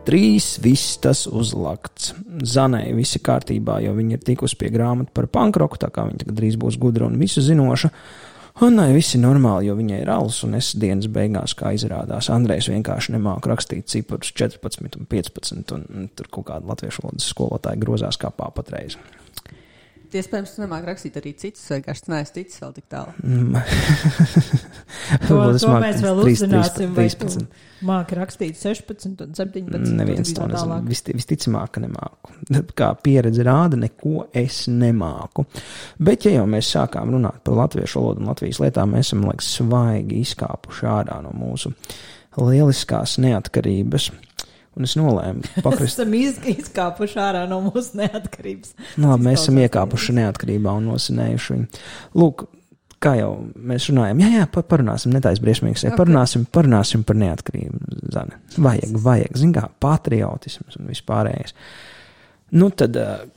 3 vistas uzlakts. Zanei visi kārtībā, jo viņi ir tikusi pie grāmatu par pankroku, tā kā viņi tagad drīz būs gudra un visu zinoša. Annai viss ir normāli, jo viņai ir alus, un es dienas beigās, kā izrādās, Andrejs vienkārši nemāk rakstīt ciparus 14 un 15, un tur kaut kāda latviešu valodas skolotāja grozās kā pāpatreiz. Iespējams, tu nemāk rakstīt arī citus, vienkārši neesi ticis vēl tik tālu. To mēs vēl uzzināsim, vai tu māki rakstīt 16 un 17. Neviens to nezinu. Visticamāk, ka nemāku. Kā pieredze rāda, neko es nemāku. Bet, ja jau mēs sākām runāt par latviešu valodu un Latvijas lietām, mēs esam, liekas, svaigi izkāpuši ārā no mūsu lieliskās neatkarības. Un es nolēmu pakrist. Esam izkāpuši ārā no mūsu neatkarības. Nu, labi, mēs esam iekāpuši neatkarībā un nosinējuši viņu. Lūk, kā jau mēs runājam, parunāsim, netais briesmīgs, okay. Parunāsim par neatkarību, Zane. Vajag, zin kā, patriotisms un vispārējais. Nu tad,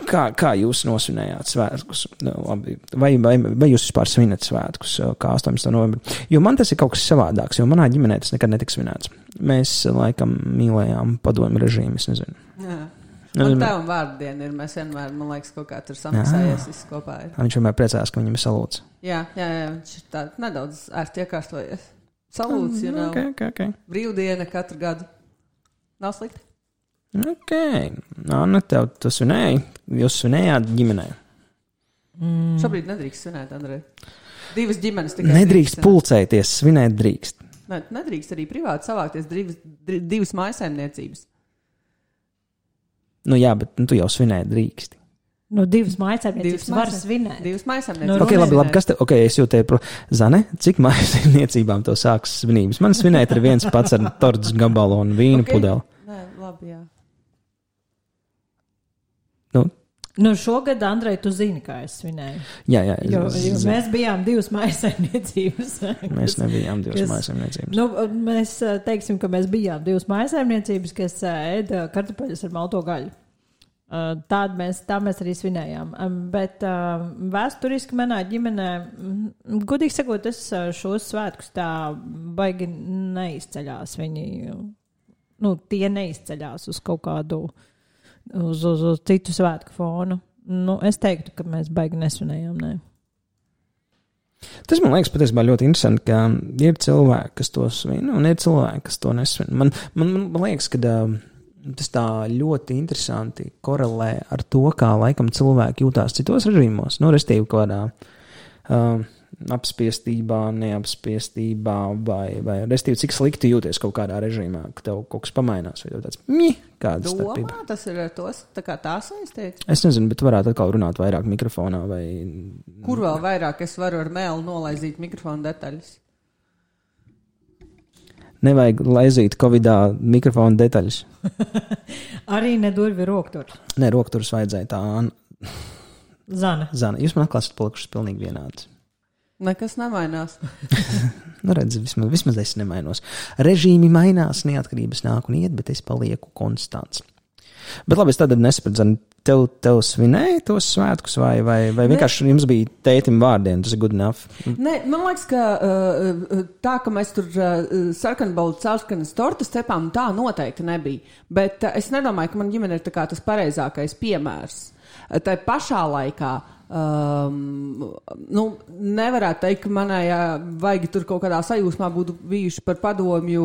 kā jūs nosvinējāt svētkus? Labi, vai jūs vispār svinat svētkus kā 18. novembri? Jo man tas ir kaut kas savādāks, jo manā ģimenē tas nekad netika svinēts. Mēs laikam mīlējām padomju režīmu, es nezinu. Jā. Man tev un vārdiena ir, mēs vienmēr, man liekas, kaut kā tur samaksājies viss kopā ir. Viņš vienmēr priecājās, ka viņam ir salūts. Jā, viņš ir tā nedaudz ērti iekārtojies. Salūts, okay. Brīvdiena katru gadu. Nav slikti? Ok, Anna, tu svinēji, jūs svinējāt ģimenē. Šobrīd nedrīkst svinēt, Andrej. 2 ģimenes tikai. Nedrīkst pulcēties, svinēt drīkst. Nedrīkst arī privāti savākties 2 mājsaimniecības. Nu jā, bet tu jau svinēt drīksti. Nu, 2 mājsaimniecības var svinēt. 2 mājsaimniecības. Ok, labi, es jūtēju, Zane, cik mājsaimniecībām to sāks svinības? Man svinēt ir viens pats ar tortas gabalu un vīnu pudeli. Nē, labi, jā. Nu, šogad, Andrej, tu zini, kā es svinēju. Jā. Jo mēs bijām 2 mājsaimniecības. Mēs nebijām 2 mājsaimniecības. Nu, mēs teiksim, ka mēs bijām 2 mājsaimniecības, kas ēda kartupeļus ar malto gaļu. Tā mēs arī svinējām. Bet vēsturiski manā ģimenē, godīgi sakot, es šos svētkus tā baigi neizceļās. Viņi, tie neizceļās uz kaut kādu uz citu svētku fonu. Es teiktu, ka mēs baigi nesvinējām, nē. Tas man liekas patiesībā ļoti interesanti, ka ir cilvēki, kas to svin, un ir cilvēki, kas to nesvin. Man liekas, ka tas tā ļoti interesanti korelē ar to, kā laikam cilvēki jūtās citos režīmos. Restīvi kādā apspiestībā, neapspiestībā, vai restīvi, cik slikti jūties kaut kādā režīmā, ka tev kaut kas pamainās, vai tev tāds kāda starpība. Domā, tas ir tos, tā kā tā saistīts? Es nezinu, bet varētu atkal runāt vairāk mikrofonā, vai... Kur vēl vairāk es varu ar mēlu nolaizīt mikrofonu detaļas? Nevajag laizīt Covidā mikrofonu detaļas. Arī nedurvi rokturs. Nē, rokturs vajadzēja tā. Zana. Jūs man atklāt esat palikušas pilnīgi vienāds. Nekas nemainās. Redz, vismaz es nemainos. Režīmi mainās, neatkarības nāk un iet, bet es palieku konstants. Bet labi, es tad nesapratu, tev svinēja tos svētkus, vai vienkārši jums bija tētim vārdiena, tas ir good enough? Nē, man liekas, ka tā, ka mēs tur sarkanas tortas cepām, tā noteikti nebija. Bet es nedomāju, ka man ģimene ir tā kā tas pareizākais piemērs. Tā pašā laikā nevarētu teikt, ka manai vajag tur kaut kādā sajūsmā būtu bijuši par padomju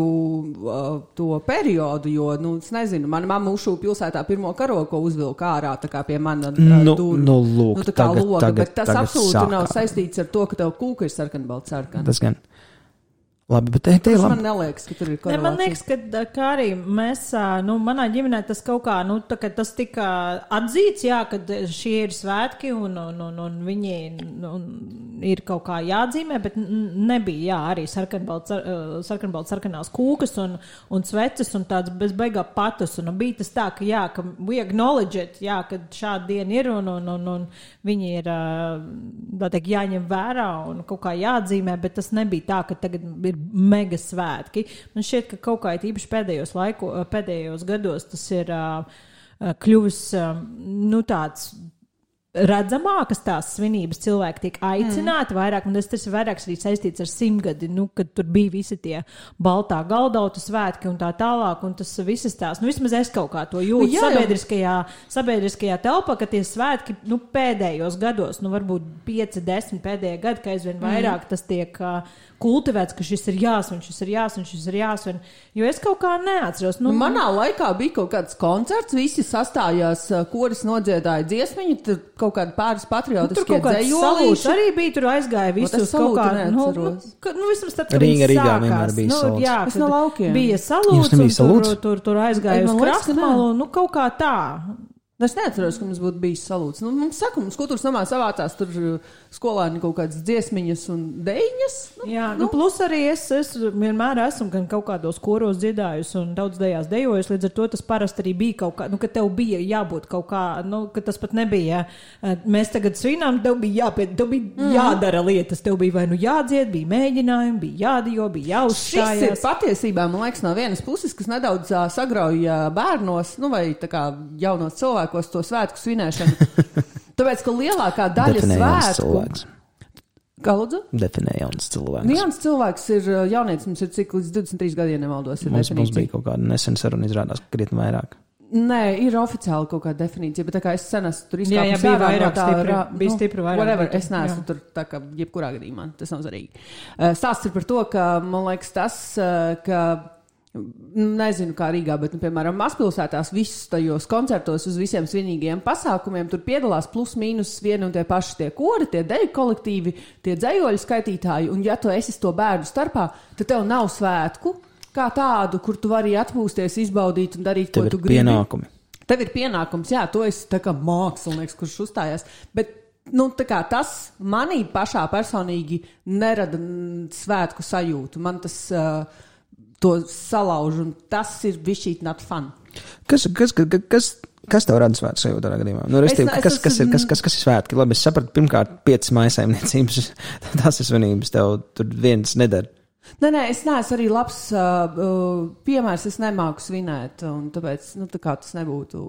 to periodu, jo, es nezinu, mana mamma Ušu pilsētā pirmo karogu, ko uzvilka ārā, tā kā pie mana lūk, tā kā loga, tagad, bet tas absolūti nav saistīts ar to, ka tev kūka ir sarkanbalts sarkana. Tas gan. Labi, bet labi. Man neliekas, ka tur ir korelācija. Man liekas, ka arī mēs, manā ģimenē tas kaut kā, tā kā tas tika atzīts, jā, kad šie ir svētki un viņi ir kaut kā jāatzīmē, bet nebija, jā, arī sarkanbalts sarkanās kūkas un sveces un tāds bezbeigā patus. Un bija tas tā, ka jā, ka we acknowledge it, jā, kad šāda diena ir un viņi ir, tā teikt, jāņem vērā un kaut kā jāatzīmē, bet tas nebija tā, ka tagad ir mega svētki. Man šķiet, ka kaut kā īpaši pēdējos gados tas ir kļuvis, tāds redzamākas tās svinības, cilvēki tiek aicināti vairāk, un tas ir vairāk arī saistīts ar 100-gadi, kad tur bija visi tie baltā galdautu svētki un tā tālāk, un tas visas tās, vismaz es kaut kā to jūtu sabiedriskajā telpā, ka tie svētki, pēdējos gados, varbūt 5-10 pēdējie gadi, ka aizvien vairāk tas tiek kultivēts, ka šis ir jāsvin, jo es kaut kā neatceros. Manā laikā bija kaut kāds koncerts, visi sastājās, koris nodziedāja dziesmiņu, tur kaut kādi pāris patriotiskie dzējolīši. Arī bija, tur aizgāja visus kaut kā, vismaz tad, kad Rīgā vienmēr bija salūts. Jā, es no laukiem. Bija salūts, un tur aizgāja uz Krastmalu, kaut kā tā. Es neatceros, ka mums būtu bijis salūts. Mums kultūras namā savācās tur skolēni kaut kādas dziesmiņas un dejiņas. Plus arī es vienmēr esmu gan kaut kādos koros dziedājusi un daudz dejās dejojusi, līdz ar to tas parasti arī bija kaut kā, ka tev bija jābūt kaut kā, ka tas pat nebija, mēs tagad svinām, tev bija jādara lietas, tev bija vai jādzied, bija mēģinājumi, bija jādijo, bija jāuzstājās. Šis ir patiesībā, man liekas, no vienas puses, kas nedaudz sagrauja bērnos, vai tā kā jaunos cilvēkus, to svētku svinēšanu. Tāpēc, ka lielākā daļa svētku... Kā lūdzu? Definē jauns cilvēks. Jauns cilvēks ir jaunietis, mums ir cik līdz 23 gadiem nevaldos. Mums bija kaut kāda nesen saruna izrādās krietni vairāk. Nē, ir oficiāli kaut kāda definīcija, bet tā kā es sen esmu tur izkāpis bija vairāk bija stipri vairāk. Whatever, es neesmu tur tā kā jebkurā gadījumā, tas nav svarīgi. Stāsts ir par to, ka, man liekas, tas, ka nezinu, kā Rīgā, bet, piemēram, mazpilsētās visus tajos koncertos uz visiem svinīgajiem pasākumiem tur piedalās plus mīnus vieni un tie paši tie kori, tie deju kolektīvi, tie dzējoļu skaitītāji, un ja tu esi to bērnu starpā, tad tev nav svētku kā tādu, kur tu vari atpūsties, izbaudīt un darīt, ko tu gribi. Tev ir pienākums, jā, tu esi tā kā mākslinieks, kurš uzstājās, bet tā kā tas manī pašā personīgi nerada svētku sajūtu. Man tas to salauž, un tas ir bišķīt not fun. Kas tev rada svētku sajūtu tādā gadījumā? Kas ir svētki? Labi, es sapratu, pirmkārt, 5 mājsaimniecības, tās ir svinības, tev tur viens nedara. Nē, es neesmu arī labs piemērs, es nemāku svinēt, un tāpēc, tā kā tas nebūtu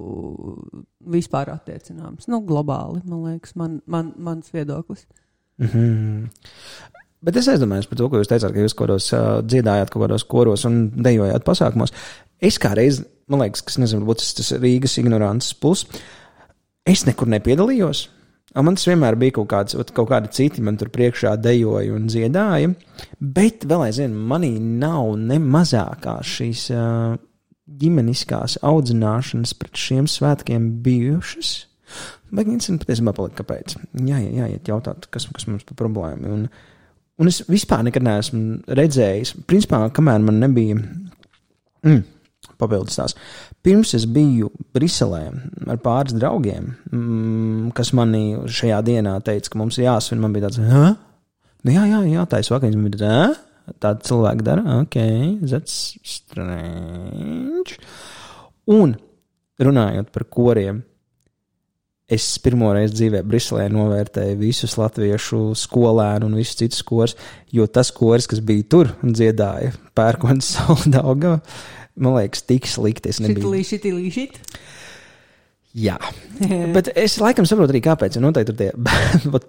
vispār attiecināms. Globāli, man liekas, mans viedoklis. Mm-hmm. Bet es aizdomājos par to, ko jūs teicāt, ka jūs koros dziedājāt kaut kādos koros un dejojāt pasākumos. Es kā reiz, man liekas, kas nezinu, varbūt tas Rīgas ignorants plus, es nekur nepiedalījos. Man tas vienmēr bija kaut kādi citi, man tur priekšā dejoja un dziedāja, bet vēl aizvien manī nav ne mazākā šīs ģimeniskās audzināšanas pret šiem svētkiem bijušas. Bet interesanti patiesībā palika, kāpēc. Jāiet jautāt, kas mums par problēmu. Un es vispār nekad neesmu redzējis, principā, kamēr man nebija papildus tās. Pirms es biju Briselē ar pāris draugiem, kas manī šajā dienā teica, ka mums ir jāsvin, man bija tāds, jā, tais vakariņas, man bija tāds, tāda cilvēka dara, that's strange. Un runājot par koriem, es pirmoreiz dzīvē Briselē novērtēju visus latviešu skolēnu un visus citus kors, jo tas kors, kas bija tur un dziedāja Pērkonas Sauldaugava, man liekas, tik slikti es nebiju. Šitilī. Jā, bet es laikam saprotu arī kāpēc, jo noteikti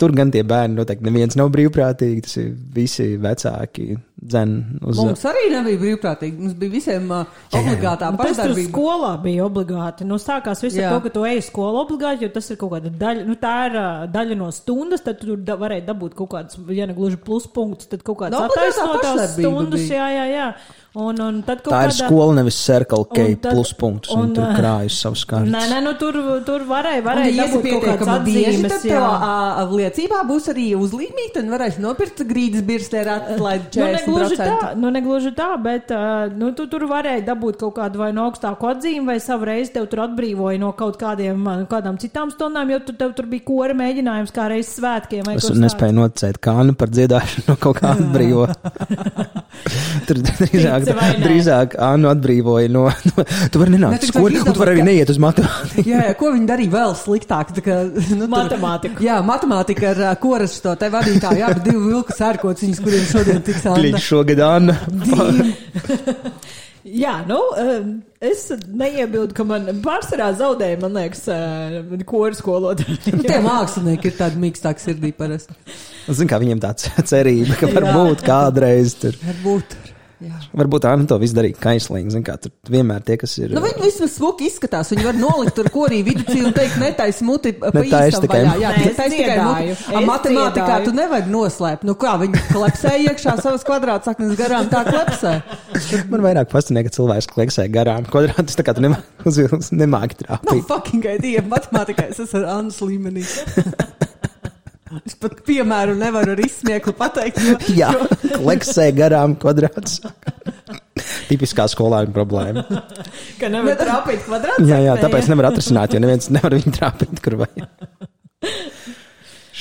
tur gan tie bērni noteikti neviens nav brīvprātīgi, tas ir visi vecāki dzen uz... Mums arī nebija brīvprātīgi, mums bija visiem obligātā pašdarbība. Tas tur skolā bija obligāti, sākās viss ar to, ka tu eji skolu obligāti, jo tas ir kaut kāda daļa, tā ir daļa no stundas, tad tu varēja dabūt kaut kādas, ja ne gluži pluspunktus, tad kaut kādas attaisnotās stundas, jā. Un tad tā ir skola, nevis Circle K pluspunktus, un tur krājas savus kārtas. Nē, tur varēja dabūt kaut kāds atzīmes. Tad tev liecībā būs arī uzlīmīt, un varēs nopirkt grīdas birstē ar atlaidi 40%. Negluži tā, bet tu tur varēja dabūt kaut kādu vai no augstāku atzīmi, vai savu reizi tev tur atbrīvoja no kādām citām stundām, jo tev tur bija kora mēģinājums kā reiz svētkiem. Es nespēju nocēt kānu par dziedāšanu no kaut kā atbrīvo. Tur drīzāk Annu atbrīvoja no tu vari nenākt skolu, un tu vari arī neiet uz matemātiku. Jā, ko viņi darīja vēl sliktāk? Matemātiku. Jā, matemātika ar koras to te vadītāju, jā, bet 2 vilku sērkociņas, kuriem šodien tiks Anna. Kliņš šogad Anna. Jā, es neiebildu, ka man pārsvarā zaudēja, man liekas, koru skolotāji. Tie mākslinieki ir tādi mīkstāki sirdī parasti. Zin, kā viņiem tāds cerība, ka varbūt kādreiz tur. Jā. Varbūt tā, to viss darīja kaislīgi. Zin, kā tur vienmēr tie, kas ir. Viņi vismaz smuki izskatās. Viņi var nolikt tur korī viducī un teikt, netais muti pa īstam tikai. vaļā. Jā, netais tikai muti. Matemātikā tu nevari noslēpt. Kā viņi klepsē iekšā savas kvadrātsaknes garām, tā klepsē. Man vairāk fascinē, ka cilvēks kleksē garām kvadrātus, tā kā tu nemāki trāpīt. No fucking idea. Matemātikā es esmu ar Annas līmenī. Es pat piemēru nevaru ar izsmieklu pateikt. Jā, kleksē garām kvadrātus. Tipiskā skolāņa problēma. Ka nevar trāpīt kvadrātus? Jā, tāpēc nevar atrisināt, jo neviens nevar viņu trāpīt, kur vajag.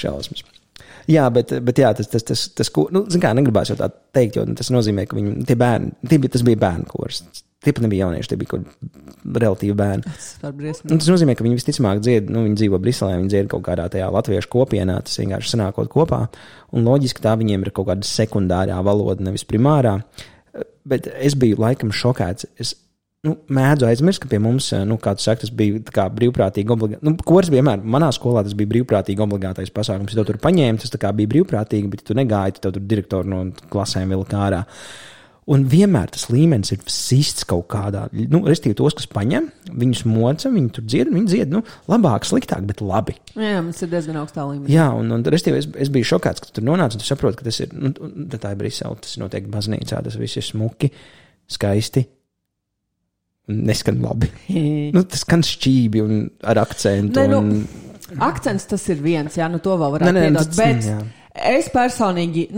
Šausmas. Jā, bet jā, tas zin kā, negribās jau tā teikt, jo tas nozīmē, ka viņi, tie bērni, tas bija bērnu kurs. Tie pat nebija jaunieši, tie bija kaut relatīvi bērni. Tas nozīmē, ka viņi visticamāk dzied, viņi dzīvo Briselē, viņi dzied kaut kādā tajā latviešu kopienā, tas vienkārši sanākot kopā. Un loģiski tā viņiem ir kaut kāda sekundārā valoda, nevis primārā. Bet es biju laikam šokēts. Es mēdzu aizmirst, ka pie mums, kā tu saki, tas bija tā kā brīvprātīgi obligāti. Kurs vienmēr, manā skolā tas bija brīvprātīgi obligātais pasākums. Ja tu tur paņēmi, tas tā kā bija brīvprātīgi, bet tu negāji, tev tur direktori no klasēm vilka ārā. Un vienmēr tas līmenis ir sists kaut kādā, restīvi tos, kas paņem, viņus moca, viņi tur dzied, labāk, sliktāk, bet labi. Jā, mums ir diezgan augstā līmenī. Jā, un restīvi es biju šokāts, ka tu tur nonāc, un tu saproti, ka tas ir, tā ir Brisele, tas notiek baznīcā, tas viss ir smuki, skaisti, un neskan labi. Tas skan šķībi un ar akcentu. Akcents tas ir viens, jā, to vēl varētu piedot, bet jā. Es personīgi,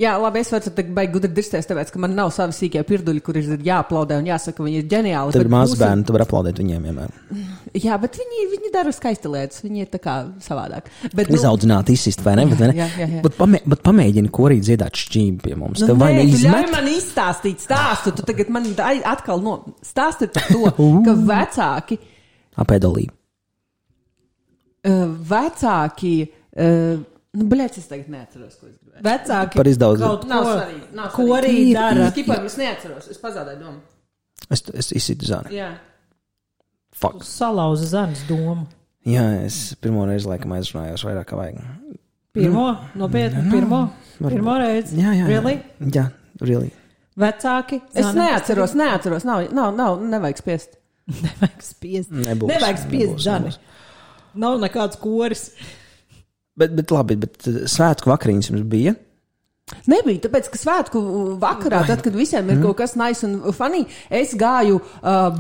jā, labi, es varu teikt, baigi gudri dirsties, tāpēc, ka man nav savi sīkie pirduļi, kur ir jāaplaudē un jāsaka, viņi ir ģeniāli. Tev ir mazbērni, tu vari aplaudēt viņiem vienmēr. Jā, bet viņi dara skaisti lietas, viņi ir tā kā savādāk. Izaudzināt, izsist, vai ne? Jā. Bet pamēģini korī dziedāt šķību pie mums. Tu ļauj man izstāstīt stāstu, tu tagad man atkal stāsti par to, ka vecāki. Apēdolī. Vecāki, es tagad neatceros, ko es gribēju. Vecāki par izdaudzi. Nav svarīgi. Korī dara. Skipam, es neatceros, es pazādēju domu. Es izsitu zani. Jā. Fuck. Salauza zanes domu. Jā, es pirmo reizi laikam aizrunājos vairāk kā vajag. Nopietni, pirmo reizi? Jā. Really? Jā, really. Vecāki? Es neatceros, nevajag spiest. Nevajag spiest zani. Nav nekāds koris. Bet labi, svētku vakariņas jums bija? Nebija, tāpēc, ka svētku vakarā, tad, kad visiem ir kaut kas nice un funny, es gāju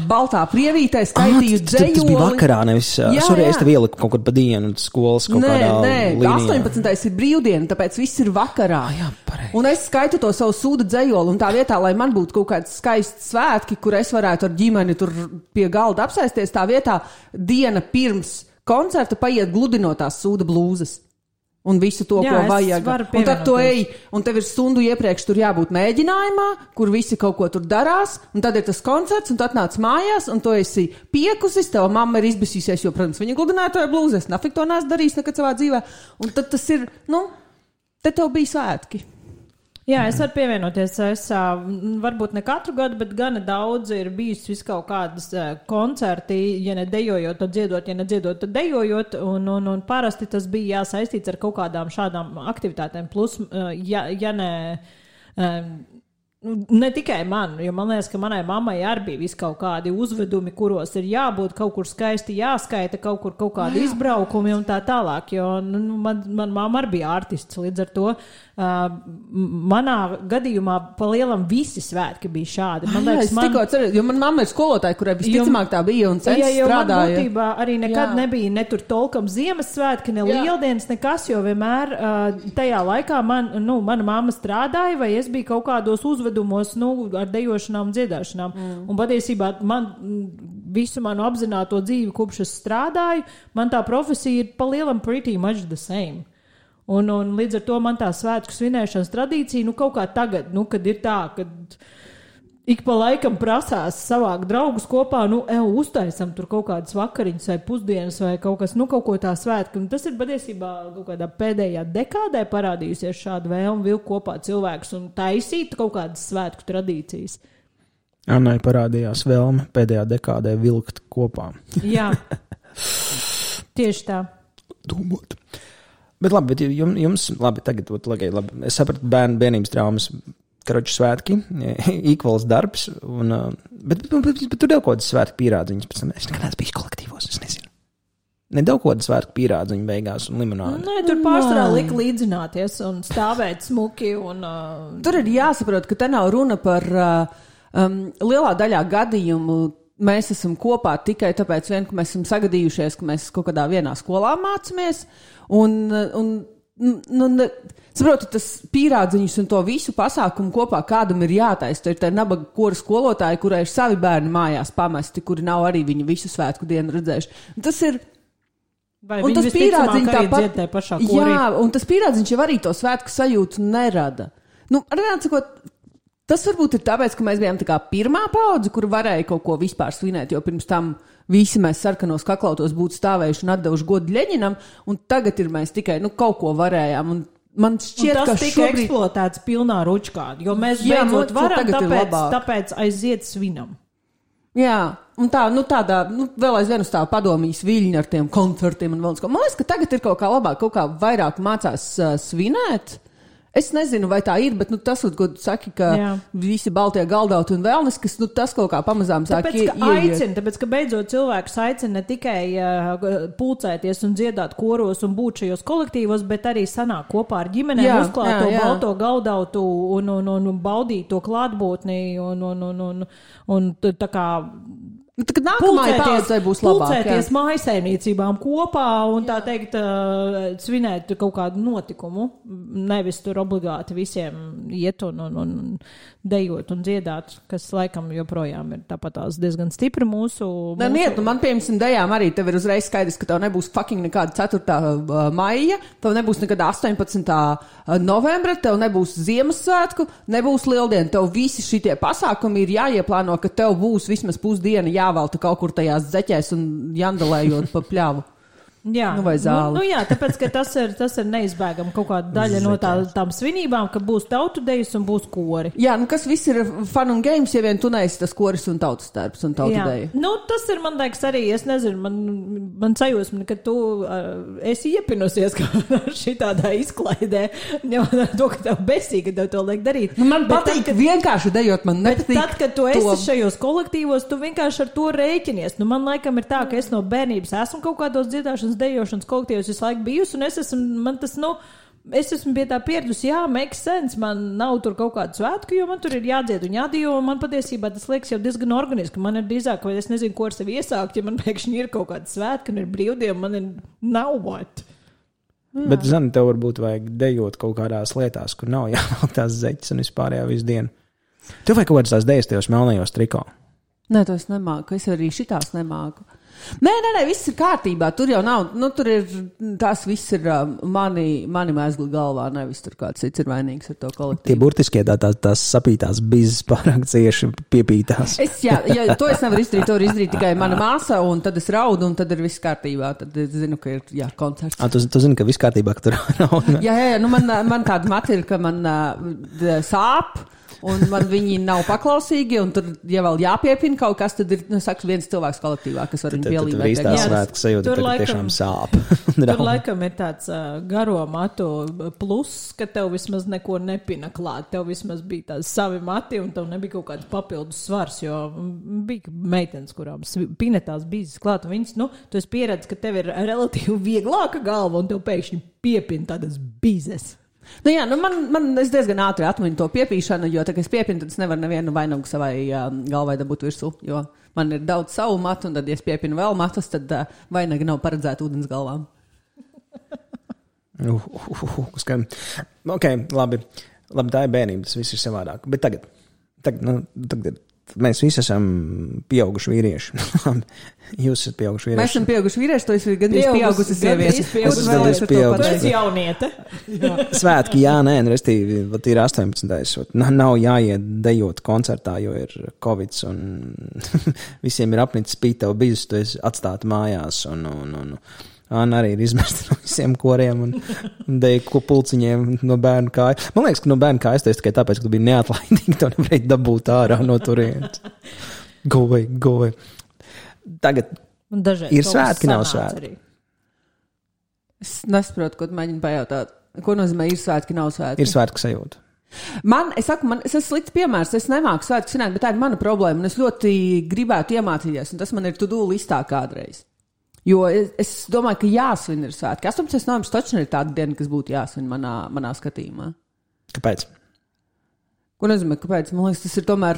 baltā prievītē, skaitīju dzējoli. Tas bija vakarā, nevis, es tev ieliku kaut kur pa dienu skolas kaut kādā līnijā. 18. ir brīvdiena, tāpēc viss ir vakarā. Jā, pareizi. Un es skaitu to savu sūda dzējoli, un tā vietā, lai man būtu kaut kāds skaists svētki, kur es varētu ar ģimeni tur pie galda apsēsties, tā vietā diena pirms koncerta paiet gludinotās sūda blūzas. Un visu to, ko vajag. Un tad tu ej, un tev ir stundu iepriekš tur jābūt mēģinājumā, kur visi kaut ko tur darās, un tad ir tas koncerts, un tu atnāc mājās, un tu esi piekusis, tava mamma ir izbisīsies, jo, protams, viņa gludināja to blūzi, es nafik to neesmu darījis nekad savā dzīvē. Un tad tas ir, te tev bija svētki. Jā, es varu pievienoties. Es varbūt ne katru gadu, bet gana daudz ir bijis vis kaut kādas koncerti, ja ne dejojot, tad dziedot, ja ne dziedot, tad dejojot, un parasti tas bija jāsaistīts ar kaut kādām šādām aktivitātēm. Plus, ja ne tikai man, jo man liekas, ka manai mammai arī bija vis kaut kādi uzvedumi, kuros ir jābūt kaut kur skaisti jāskaita, kaut kādi izbraukumi un tā tālāk, jo man mamma arī bija artists, līdz ar to manā gadījumā pa lielam visi svētki bija šādi. Man liekas, tikko atceros, jo man mamma ir skolotāja, kurai visticamāk tā bija un strādāja. Man būtībā arī nekad nebija ne tur tolkam Ziemassvētki, ne lieldienas, nekas, jo vienmēr tajā laikā mana mamma strādāja, vai es biju kaut kādos uzvedumos, ar dejošanām un dziedāšanām. Un patiesībā visu manu apzināto dzīvi, kopš es strādāju, man tā profesija ir pa lielam pretty much the same. Un līdz ar to man tā svētku svinēšanas tradīcija, kaut kā tagad, kad ir tā, kad ik pa laikam prasās savākt draugus kopā, uztaisam tur kaut kādas vakariņas vai pusdienas vai kaut kas, kaut ko tā svētku. Un tas ir patiesībā kaut kādā pēdējā dekādē parādījusies šāda vēlme vilkt kopā cilvēkus un taisīt kaut kādas svētku tradīcijas. Annai parādījās vēlme pēdējā dekādē vilkt kopā. Jā, tieši tā. Domāt. Bet labi, jums labi, tagad, labi. Es sapratu bērnības traumas, karoči svētki, equals darbs, bet tur tev kaut kādas svētku pierādziņas, pēc tam es nekad neesmu bijis kolektīvos, es nezinu. Nedaudz kāda svētku pierādziņu beigās un limonādi. Nē, tur pārsvarā lika līdzināties un stāvēt smuki. Tur ir jāsaprot, ka te nav runa par lielā daļā gadījumu. Mēs esam kopā tikai tāpēc, ka mēs esam sagadījušies, ka mēs kaut kādā vienā skolā mācāmies. Saprotu, tas pierādziņus un to visu pasākumu kopā kādam ir jātaisa. Tur ir tā nabaga kora skolotāja, kurai ir savi bērni mājās pamesti, kuri nav arī viņu visu svētku dienu redzējuši. Tas ir. Vai un tas pierādziņš tāpat, jā, un tas pierādziņš jau arī to svētku sajūtu nerada. Sakot, tas varbūt ir tāpēc, ka mēs bijām tā kā pirmā paudze, kur varēja kaut ko vispār svinēt, jo pirms tam visi mēs sarkanos kaklautos būtu stāvējuši un atdevuši godu Ļeņinam, un tagad ir mēs tikai kaut ko varējām. Un man šķiet, un tas ka tika šobrīd eksploatēts pilnā ručkā, jo mēs beidzot varam, tāpēc aiziet svinam. Jā, un tādā vēl aizvien uz tā padomīs viļņa ar tiem koncertiem un vēl kaut ko. Man liekas, ka tagad ir kaut kā labāk, kaut kā vairāk mācās svinēt. Es nezinu, vai tā ir, bet tas, ko tu saki, ka visi baltie galdauti un vēlnes, kas tas kaut kā pamazām sāk ieiet. Tāpēc, ka beidzot cilvēkus aicina ne tikai pulcēties un dziedāt koros un būt šajos kolektīvos, bet arī sanāk kopā ar ģimenēm, uzklāt to balto galdautu un baudīt to klātbūtni un tā kā Kad nākamajai paudzei būs labāk. Pulcēties mājasaimniecībām kopā un tā teikt svinēt kaut kādu notikumu. Nevis tur obligāti visiem iet un dejot un dziedāt, kas laikam joprojām ir tāpatās diezgan stipri mūsu. Man piemēram dejām arī tev ir uzreiz skaidrs, ka tev nebūs fucking nekāda 4. maija, tev nebūs nekāda 18. novembra, tev nebūs Ziemassvētku, nebūs Lieldiena. Tev visi šitie pasākumi ir jāieplāno, ka tev būs vismaz pusdiena jāvalta kaut kur tajās zeķēs un jandalējot pa pļavu. Jā, vai zāli. Jā, tāpēc, ka tas ir neizbēgami kaut kāda daļa no tām svinībām, ka būs tautu dejas un būs kori. Jā, kas viss ir fun un games, ja vien tu neesi tas koris un tautas darbs un tautu deja. Tas ir, man liekas, arī, es nezinu, man sajūsmi, ka tu esi iepinusies šitādā izklaidē, ņemot to, ka tev besīgi, ka tev to liek darīt. Man patīk vienkārši dejot, man nepatīk. Bet tad, kad tu esi šajos kolektīvos, tu vienkārši ar to rēķinies. Man laikam ir tā, ka es no bērnības esmu kaut kādos dziedāšanas dejošanas kolektīvos visu laiku bijusi, un es esmu pie tā pieradusi, make sense, man nav tur kaut kādu svētku, jo man tur ir jādzied un jādijo, un man patiesībā tas liekas jau diezgan organiski, man ir drīzāk, vai es nezinu, ko ar sevi iesākt, ja man pēkšņi ir kaut kāda svētka, un ir brīvdiena, man ir nav what. Bet, Zani, tev varbūt vajag dejot kaut kādās lietās, kur nav jāvelk tās zeķes un vispārējā visu dienu. Tev vajag kaut kādas tās dejas tajos melnajos triko. Nē, to es nemāku, es arī šitās nemāku. Nē, viss ir kārtībā, tur jau nav, tur ir, tās viss ir mani mēzgli galvā, nevis tur kāds cits ir vainīgs ar to kolektīvu. Tie burtiskie tās sapītās bizes pārāk cieši piepītās. To es nevaru izdarīt, to var izdarīt tikai mana māsa, un tad es raudu, un tad ir viss kārtībā, tad es zinu, ka ir, koncerts. Tu zini, ka viss kārtībā, ka tur raudu? Jā, man tāda mata ir, ka man sāp, un man viņi nav paklausīgi, un tur, ja vēl jāpiepina kaut kas, tad ir, viens cilvēks kolektīvā, kas var viņu pielīmēt. Tad viss tās svētkas sajūta, ka tiešām sāp. Tur laikam ir tāds garo matu pluss, ka tev vismaz neko nepina klāt. Tev vismaz bija tāds savi mati, un tev nebija kaut kāds papildus svars, jo bija meitenes, kurām pinetās bīzes klāt, un viņas, tu esi pieredzis, ka tev ir relatīvi vieglāka galva, un tev pēkšņi piepina tādas bīzes. Es diezgan ātri atmiņu to piepīšanu, jo tā, ka es piepinu, tad es nevaru nevienu vainagu savai galvai dabūt virsū, jo man ir daudz savu matu, un tad, ja es piepinu vēl matus, tad vainagi nav paredzēta ūdens galvām. Ok, labi, tā ir bērnība, tas viss ir savādāk. Bet tagad mēs visi esam pieauguši vīrieši. Jūs esat pieauguši vīrieši. Mēs esam pieauguši vīrieši, to es ir gandrīz pieaugusi sieviete. Tu esi jauniete. Svētki, restīvi, ir 18. Nav jāiet dejot koncertā, jo ir Covids un visiem ir apnicis spīt tev bizus, tu esi atstāta mājās un Anna arī ir izmesta no visiem koriem un deja ko pulciņiem no bērnu kāja. Man liekas, ka no bērnu kājas tas tikai tāpēc, ka tu biji neatlaidīgi, to nevarēji dabūt ārā no turienes. Go away. Tagad ir svētki, nav svētki. Es nesaprotu, ko tu mēģini pajautāt. Ko nozīmē ir svētki, nav svētki? Ir svētku sajūta. Es esmu slikts piemērs, es nemāku svētku svinēt, bet tā ir mana problēma, un es ļoti gribētu iemācīties, un tas man ir to-do listā kādreiz. Jo es domāju, ka jāsvin ir svētki. 18. novembris taču ir tāda diena, kas būtu jāsvin manā skatījumā. Kāpēc? Ko nozīmē, kāpēc? Man liekas, tas ir tomēr,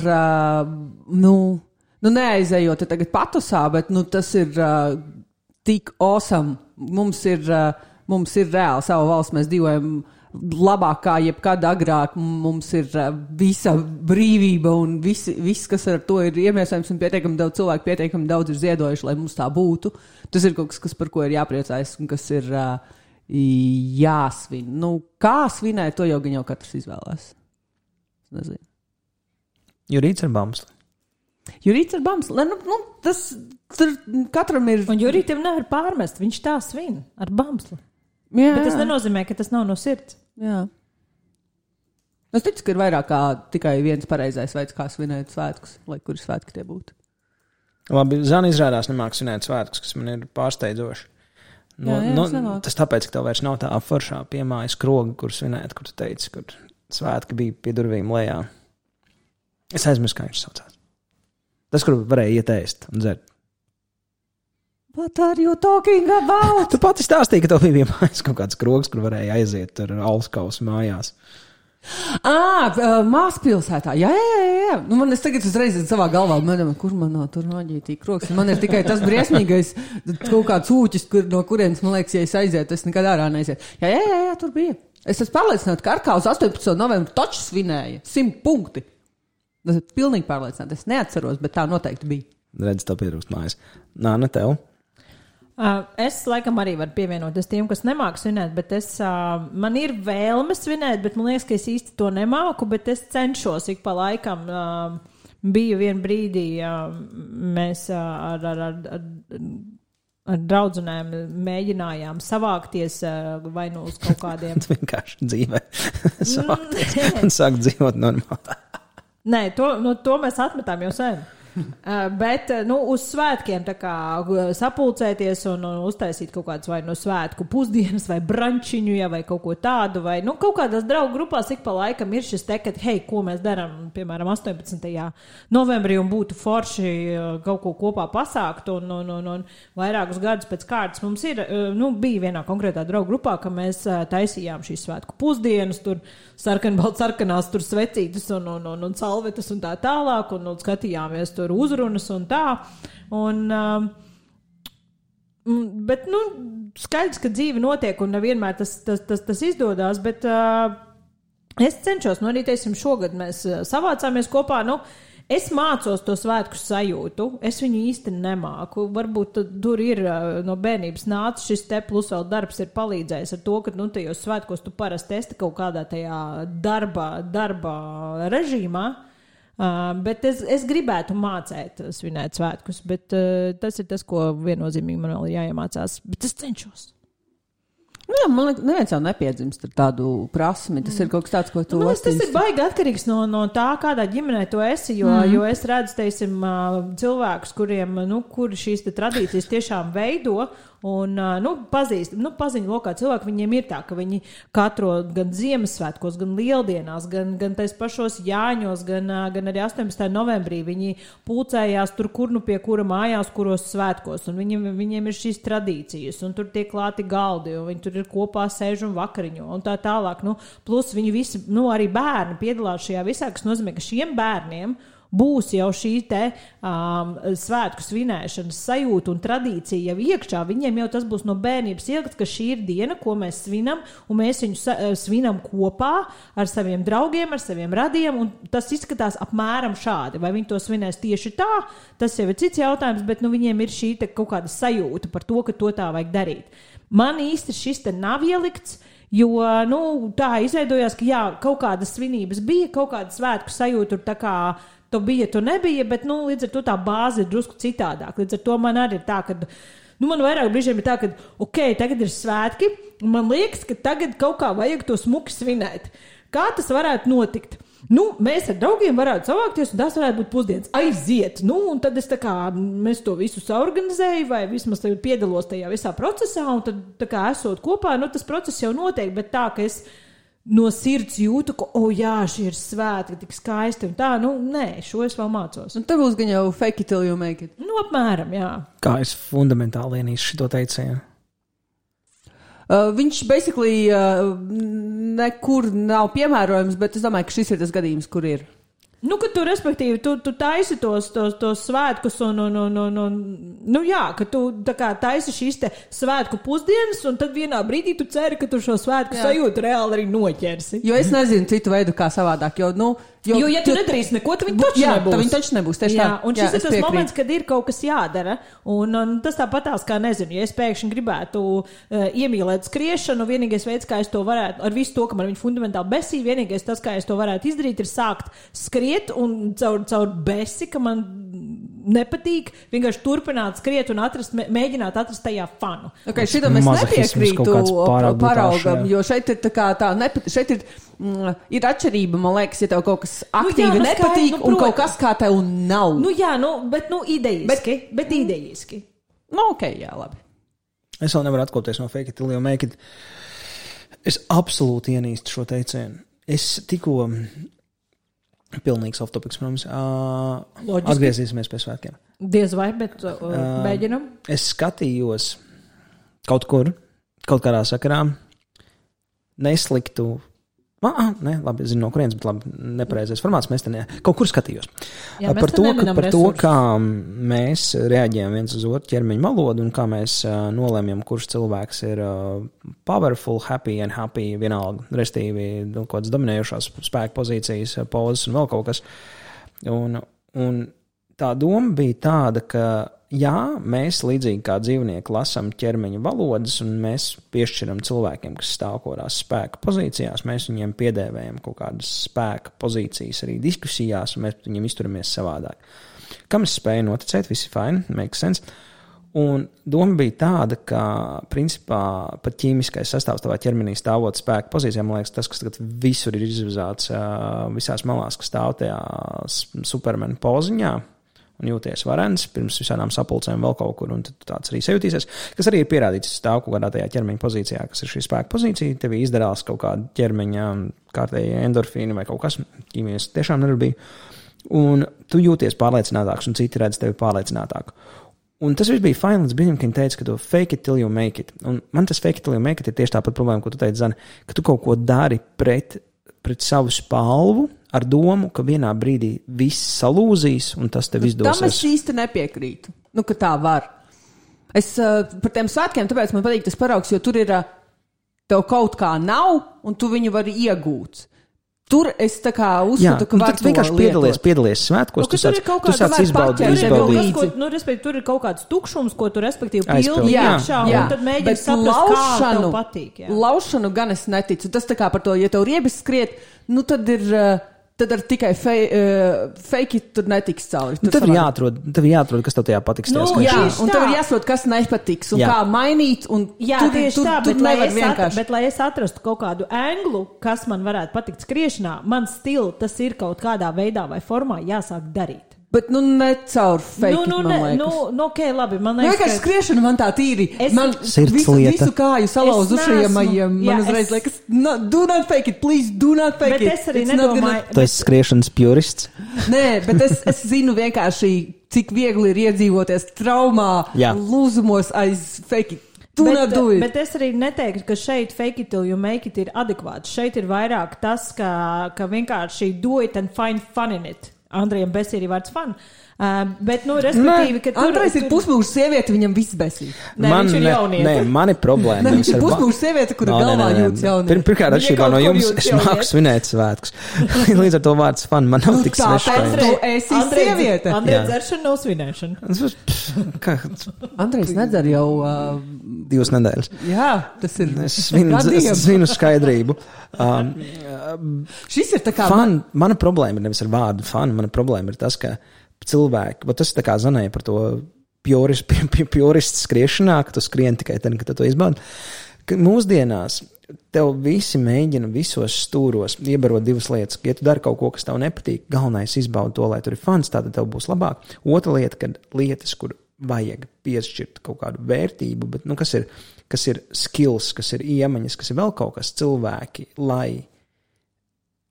neaizējot tagad patusā, bet, tas ir tik awesome. Mums ir reāli sava valsts, mēs dzīvojam labāk kā jebkad agrāk, mums ir visa brīvība un viss, kas ar to ir iemiesojams un pietiekami daudz cilvēku, pietiekami daudz ir ziedojuši, lai mums tā būtu. Tas ir kaut kas, par ko ir jāpriecājas un kas ir jāsvin. Kā svinēt, to jau katrs izvēlās. Nezinu. Jurīts ar bamsli. Jurīts ar bamsli. Tas tur katram ir... Un Jurītam nevar pārmest, viņš tā svin ar bamsli. Jā. Bet tas nenozīmē, ka tas nav no sirds. Jā. Es ticu, ka ir vairāk kā tikai viens pareizais veids, kā svinēt svētkus, lai kuri svētki tie būtu. Labi, Zana izrādās nemāk svinēt svētkus, kas man ir pārsteidzoši. Tas tāpēc, ka tev vairs nav tā foršā piemājas kroga, kur svinēt, kur tu teici, kur svētki bija pie durvīm lejā. Es aizmirsu, kā viņš saucās. Tas, kur varēja iet ēst un dzert. What are you talking about? Tu pati stāstīji, ka tev bija mājās kaut kāds krogs, kur varēja aiziet ar alskausu mājās. Māspilsētā. Jā. Man es tagad uzreiz savā galvā, kur man nav tur maģītī krogs. Man ir tikai tas briesmīgais kaut kāds ūķis, no kurienes, man liekas, ja es aizietu, es nekad ārā neaiziet. Jā, tur bija. Es esmu pārliecināta, ka Arkā uz 18. novembru taču svinēja 100 punkti. Es esmu pilnīgi pārliecināta. Es neatceros, bet tā noteikti bija. Redz, tev pietrūkst mājas. Ne tev. Es laikam arī varu pievienoties tiem, kas nemāku svinēt, bet man ir vēlme svinēt, bet man liekas, ka es īsti to nemāku, bet es cenšos ik pa laikam. Biju vien brīdī, mēs ar draudzenēm mēģinājām savākties vai nu uz kaut kādiem... Vienkārši dzīvē savākties un sākt dzīvot normāli. Nē, to mēs atmetām jau sen. Bet, uz svētkiem tā kā sapulcēties un uztaisīt kaut kādas vai no svētku pusdienas vai brančiņu, vai kaut ko tādu, vai, kaut kādās draugu grupās ik pa laikam ir šis te, ka, ko mēs darām, piemēram, 18. novembrī un būtu forši kaut ko kopā pasākt un vairākus gadus pēc kārtas mums ir, bija vienā konkrētā draugu grupā, ka mēs taisījām šīs svētku pusdienas, tur sarkanās tur svecītas un salvetas un tā tālāk un skatījāmies tur uzrunas un tā. Bet, skaidrs, ka dzīve notiek un nevienmēr tas izdodās, bet es cenšos, arī teiksim, šogad mēs savācāmies kopā, es mācos to svētku sajūtu, es viņu īsti nemāku, varbūt tur ir no bērnības nāca šis te, plus vēl darbs ir palīdzējis ar to, ka, tajos svētkos tu parasti esi kaut kādā tajā darba režīmā, bet es gribētu mācēt svinēt svētkus, bet tas ir tas, ko viennozīmīgi man vēl jāiemācās, bet es cenšos. Jā, man liekas, neviens jau nepiedzimst ar tādu prasmi. Tas ir kaut kas tāds, ko tu attīsti. Tas ir baigi atkarīgs no tā, kādā ģimenē tu esi, jo es redzu, teiksim, cilvēkus, kuriem, kuri šīs tradīcijas tiešām veido un, paziņu lokā cilvēki, viņiem ir tā, ka viņi katro gan Ziemassvētkos, gan Lieldienās, gan tais pašos Jāņos, gan arī 18. novembrī viņi pulcējās tur, kur pie kura mājās, kuros svētkos, un viņiem ir šīs tradīcijas, un tur tiek klāti galdi, un viņi tur ir kopā sēž un vakariņo, un tā tālāk, plus viņi visi, arī bērni piedalās šajā visā, kas nozīmē, ka šiem bērniem būs jau šī te svētku svinēšanas sajūta un tradīcija jau iekšā. Viņiem jau tas būs no bērnības ielikt, ka šī ir diena, ko mēs svinam, un mēs viņu svinam kopā ar saviem draugiem, ar saviem radiem, un tas izskatās apmēram šādi. Vai viņi to svinēs tieši tā, tas jau ir cits jautājums, bet viņiem ir šī te kaut kāda sajūta par to, ka to tā vajag darīt. Man īsti šis te nav ielikts, jo, tā izveidojās, ka kaut kādas svinības bija, kaut kāda svētku sajūta tur tā kā to bija, to nebija, bet, līdz ar to tā bāze ir drusku citādāk. Līdz ar to man arī ir tā, ka Man vairāk brīžiem ir tā, ka, tagad ir svētki, un man liekas, ka tagad kaut kā vajag to smuki svinēt. Kā tas varētu notikt? Mēs ar draugiem varētu savākties, un tas varētu būt pusdienas. Aiziet! Un tad mēs to visu saorganizēju, vai vismaz piedalos tajā visā procesā, un tad, esot kopā, tas process jau notiek, bet tā, ka es no sirds jūtu, ka, šī ir svētki, tik skaisti, un tā, nē, šo es vēl mācos. Un te būs gan jau fake it till you make it. Apmēram, jā. Kā es fundamentāli ienīstu šito teicienu? Viņš basically nekur nav piemērojams, bet es domāju, ka šis ir tas gadījums, kur ir. Ka tu, respektīvi, tu taisi tos svētkus ka tu taisi šīs te svētku pusdienas, un tad vienā brīdī tu ceri, ka tu šo svētku sajūtu reāli arī noķersi. Jo es nezinu citu veidu, kā savādāk, jo ja tu nedarīsi neko, tad viņi taču nebūs. Jā, viņi taču nebūs, tieši tā. Un šis ir tas moments, kad ir kaut kas jādara, un tas tāpatās, kā nezinu, ja es pēkšņi gribētu iemīlēt skriešanu, vienīgais veids, kā es to varētu, ar visu to, ka man viņa fundamentāli besī, vienīgais tas, kā es to varētu izdarīt, ir sākt skriet, un caur besi, ka man nepatīk, vienkārši turpināt skriet un mēģināt atrast tajā fanu. Šito mēs nepiekrītu paraugam, jo šeit ir šeit ir atšķirība, man liekas, ja tev kaut kas aktīvi nepatīk, un kaut kas kā tev nav. Bet idejiski. Bet idejiski. Jā, labi. Es vēl nevaru atkopties no fake it till you make it. Es absolūti ienīstu šo teicienu. Es tikko pilnīgs off-topics, protams. Atgriezīsimies pie svētkiem. Diez vai, bet mēģinam. Es skatījos kaut kur, kaut kādā sakarā, nesliktu. Labi, zinu no kurienes, bet labi, nepareizais formāts, mēs te kaut kur skatījos. Par to, kā mēs reaģējam viens uz otru ķermeņa valodu un kā mēs nolēmjam, kurš cilvēks ir powerful, happy and happy, vienalga, restīvi, kaut kādas dominējušās spēka pozīcijas, pozas un vēl kaut kas. Un tā doma bija tāda, ka mēs līdzīgi kā dzīvnieki lasām ķermeņa valodas un mēs piešķiram cilvēkiem, kas stāv kodās spēka pozīcijās, mēs viņiem piedēvējam kaut kādas spēka pozīcijas arī diskusijās un mēs viņiem izturamies savādāk. Kam es spēju noticēt, visi fine, make sense. Un doma bija tāda, ka principā pat ķīmiskais sastāvs tavā ķermenī stāvot spēka pozīcijā, man liekas, tas, kas tagad visur ir izvizāts visās malās, kas stāv tajā supermena poziņā, un jūties varens pirms visādām sapulcēm vēl kaut kur, un tāds arī sajūtīsies, kas arī ir pierādīts stāv kaut kādā tajā ķermeņa pozīcijā, kas ir šī spēka pozīcija, tev izdarās kaut kāda ķermeņa kārtēja endorfīni vai kaut kas, ķīmijas tiešām nedarbīja, un tu jūties pārliecinātāks, un citi redz tevi pārliecinātāku. Un tas viss bija fine līdz brīdim, kad viņi teica, ka tu fake it till you make it. Un man tas fake it till you make it ir tieši tāpat problēma, ko tu teici, Zane, ka tu kaut ko dari pret savu spalvu, ar domu, ka vienā brīdī viss salūzīs un tas tev izdosies. Tam es īsti nepiekrītu, ka tā var. Es par tiem svētkiem, tāpēc man patīk tas paraugs, jo tur ir tev kaut kā nav un tu viņu vari iegūt. Tur es tā kā uzskatu, ka var to vienkārši piedalies svētkos, tu sāc izbaudīt. Tur ir kaut kāds tukšums, ko tu respektīvi pildi iekšā, un tad mēģini saprast, kā tev patīk. Laušanu gan es neticu. Tas tā kā par to, ja tev riebis skriet, tad ir... Tad ar tikai fake it tur netiks cauri. Tev ir jāatrod, kas tev tajā patiks. Un tev ir jāsaprot, kas nepatiks un kā mainīt. Bet lai es atrastu kaut kādu anglu, kas man varētu patikt skriešanā, man tas ir kaut kādā veidā vai formā jāsāk darīt. Bet ne caur fake it, man liekas. Labi, man liekas, ka skriešana man tā tīri. Man visu kāju salauzušajamajiem. Man uzreiz liekas, do not fake it, please, do not fake it. Bet es arī nedomāju. Tu esi skriešanas purists? Nē, bet es zinu vienkārši, cik viegli ir iedzīvoties traumā, lūzumos aiz fake it. Bet es arī neteiktu, ka šeit fake it till you make it ir adekvāts. Šeit ir vairāk tas, ka vienkārši do it and find fun in it. Andrejam besī arī vārds fun. Bet, respektīvi, ka Andrejs ir pusmūža sieviete, viņam viss besī. Viņš ir jaunieti. Man ir problēma. Viņš ir pusmūža sieviete, kura galvā jūtas jaunieti. Pirmkārt, atšķirībā no jums, es māku svinēt svētkus. Līdz ar to vārds fun man nav tik svešs. Tāpēc tu esi sieviete. Andrejs dzeršana nav svinēšana. Andrejs nedzer jau 2 nedēļas. Jā, tas ir. Es svinu skaidrību. Šis ir tā kā... Mana problēma ir nevis ar vārdu fun, mana problēma ir tas, ka cilvēki, bet tas ir tā kā Zanēja par to pjorists skriešanā, ka tu skrien tikai tad, kad tu to izbaudi. Mūsdienās tev visi mēģina visos stūros iebarot divas lietas. Ja tu dari kaut ko, kas tev nepatīk, galvenais izbaudi to, lai tur ir fans, tātad tev būs labāk. Otra lieta, kad lietas, kur vajag piešķirt kaut kādu vērtību, bet, kas ir skills, kas ir iemaņas, kas ir vēl kaut kas cilvēki, lai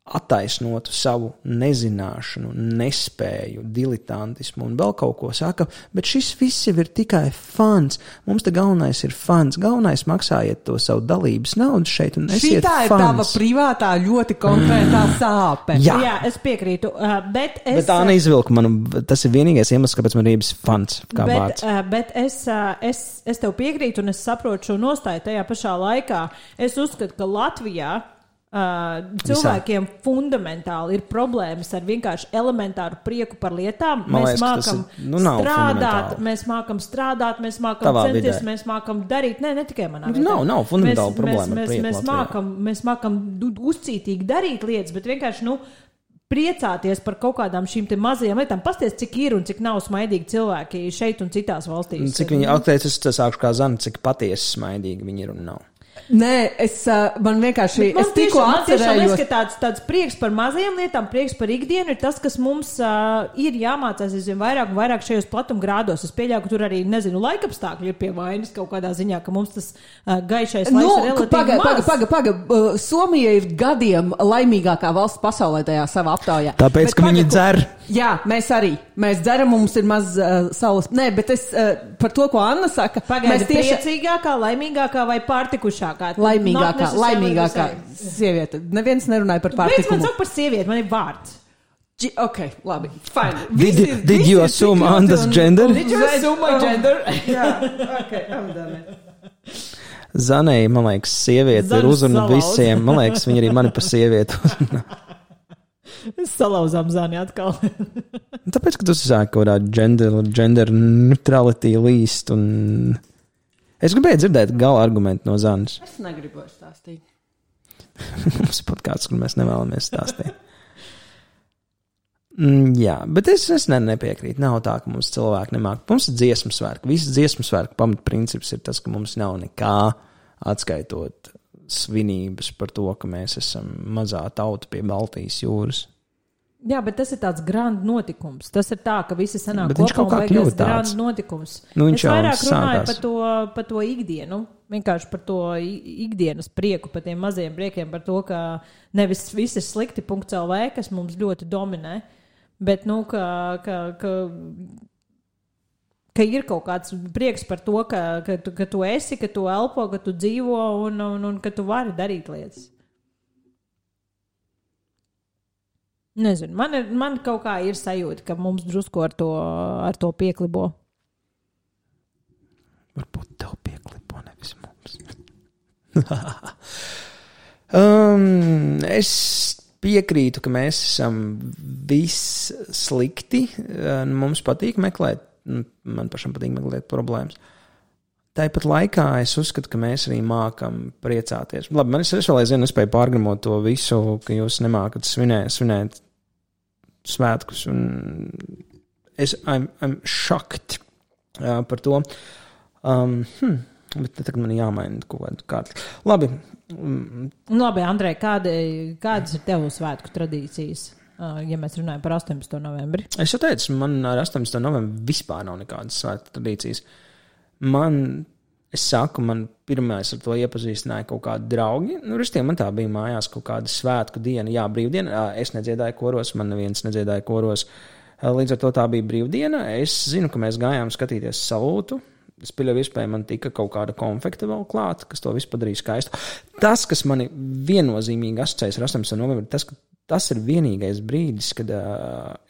attaisnotu savu nezināšanu, nespēju, diletantismu un vēl kaut ko saka, bet šis viss jau ir tikai fans. Mums te galvenais ir fans. Galvenais maksājiet to savu dalības naudu šeit un esiet fans. Šitā ir tava privātā ļoti konkrētā sāpe. Jā, es piekrītu. Bet Āna izvilka manu, tas ir vienīgais iemesls, kāpēc man ir fans kā vārds. Bet es tev piekrītu un es saprotu šo nostāju tajā pašā laikā. Es uzskatu, ka Latvijā cilvēkiem fundamentāli ir problēmas ar vienkārši elementāru prieku par lietām. Mēs mākam strādāt, mēs mākam centies, mēs mākam darīt. Ne tikai manā vietā. Nav fundamentāli problēma ar prieku. Mēs mākam uzcītīgi darīt lietas, bet vienkārši, priecāties par kaut kādām šīm te mazajām lietām. Pasties, cik ir un cik nav smaidīgi cilvēki šeit un citās valstīs. Cik viņi, es sākšu kā Zana, cik patiesi smaidīgi viņi ir un nav. Nē, man vienkārši, es tikko atcerējos. Man liekas, ka tāds prieks par mazajām lietām, prieks par ikdienu ir tas, kas mums ir jāmācās vairāk un vairāk šajos platumgrādos. Es pieļauju, ka tur arī, laikapstākļi ir pie vainas kaut kādā ziņā, ka mums tas gaišais laiks ir relatīvi maz. Somija ir gadiem laimīgākā valsts pasaulē tajā savā aptaujā. Tāpēc, ka viņi dzer. Jā, mēs arī. Mēs dzeram, mums ir maz saules. Nē, bet es par to, ko Anna saka. Pagaidi, priecīgākā, laimīgākā vai pārtikušākā? Laimīgākā sieviete. Neviens nerunāja par pārtikumu. Kāpēc man saka par sievieti? Man ir vārds. Ok, labi. Fine. Did you assume Anna's gender? Did you assume my gender? Jā, ok, I'm done it. Zanei, man liekas, sieviete ir uzruna visiem. Man liekas, viņa arī mani par sievieti uzruna. Salauzām Zani atkal. Tāpēc, ka tu sāki kaut kādā gender neutrality līst un... Es gribēju dzirdēt gala argumentu no Zanas. Es negribu stāstīt. Mums ir podkāsts, kur mēs nevēlamies stāstīt. Jā, bet es nepiekrītu. Nav tā, ka mums cilvēki nemāk. Mums ir dziesmu svētki. Visas dziesmu svētku pamatprincips ir tas, ka mums nav nekā atskaitot svinības par to, ka mēs esam mazā tauta pie Baltijas jūras. Jā, bet tas ir tāds grand notikums. Tas ir tā, ka visi sanāk kopā un beigās grand notikums. Es vairāk runāju par to ikdienu, vienkārši par to ikdienas prieku, par tiem mazajiem priekiem, par to, ka nevis viss ir slikti .lv, kas mums ļoti dominē, bet, ka ir kaut kāds prieks par to, ka tu esi, ka tu elpo, ka tu dzīvo un ka tu vari darīt lietas. Nezinu, man kaut kā ir sajūta, ka mums drusku ar to pieklibo. Varbūt tev pieklibo, nevis mums. Es piekrītu, ka mēs esam viss slikti. Mums patīk meklēt, man pašam patīk meklēt problēmas. Tāpat laikā es uzskatu, ka mēs arī mākam priecāties. Labi, es vēl aizvien nespēju pārgramot to visu, ka jūs nemākat svinēt svētkus. Un I'm shocked par to. Bet tagad man jāmaina kaut kādu kārtu. Labi. Labi, Andrej, kādas ir tev svētku tradīcijas? Ja mēs runājam par 18. novembri. Es jau teicu, man ar 18. novembri vispār nav nekādas svētku tradīcijas. Man pirmais ar to iepazīstināja kaut kādi draugi. Ristiem man tā bija mājās kaut kāda svētku diena, brīvdiena. Es nedziedāju koros, man neviens nedziedāja koros. Līdz ar to tā bija brīvdiena. Es zinu, ka mēs gājām skatīties salūtu. Es pieļauju iespēju, man tika kaut kāda konfekta vēl klāt, kas to visu padarīja skaistu. Tas, kas mani viennozīmīgi asociējas ar 18. novembri, tas ir vienīgais brīdis, kad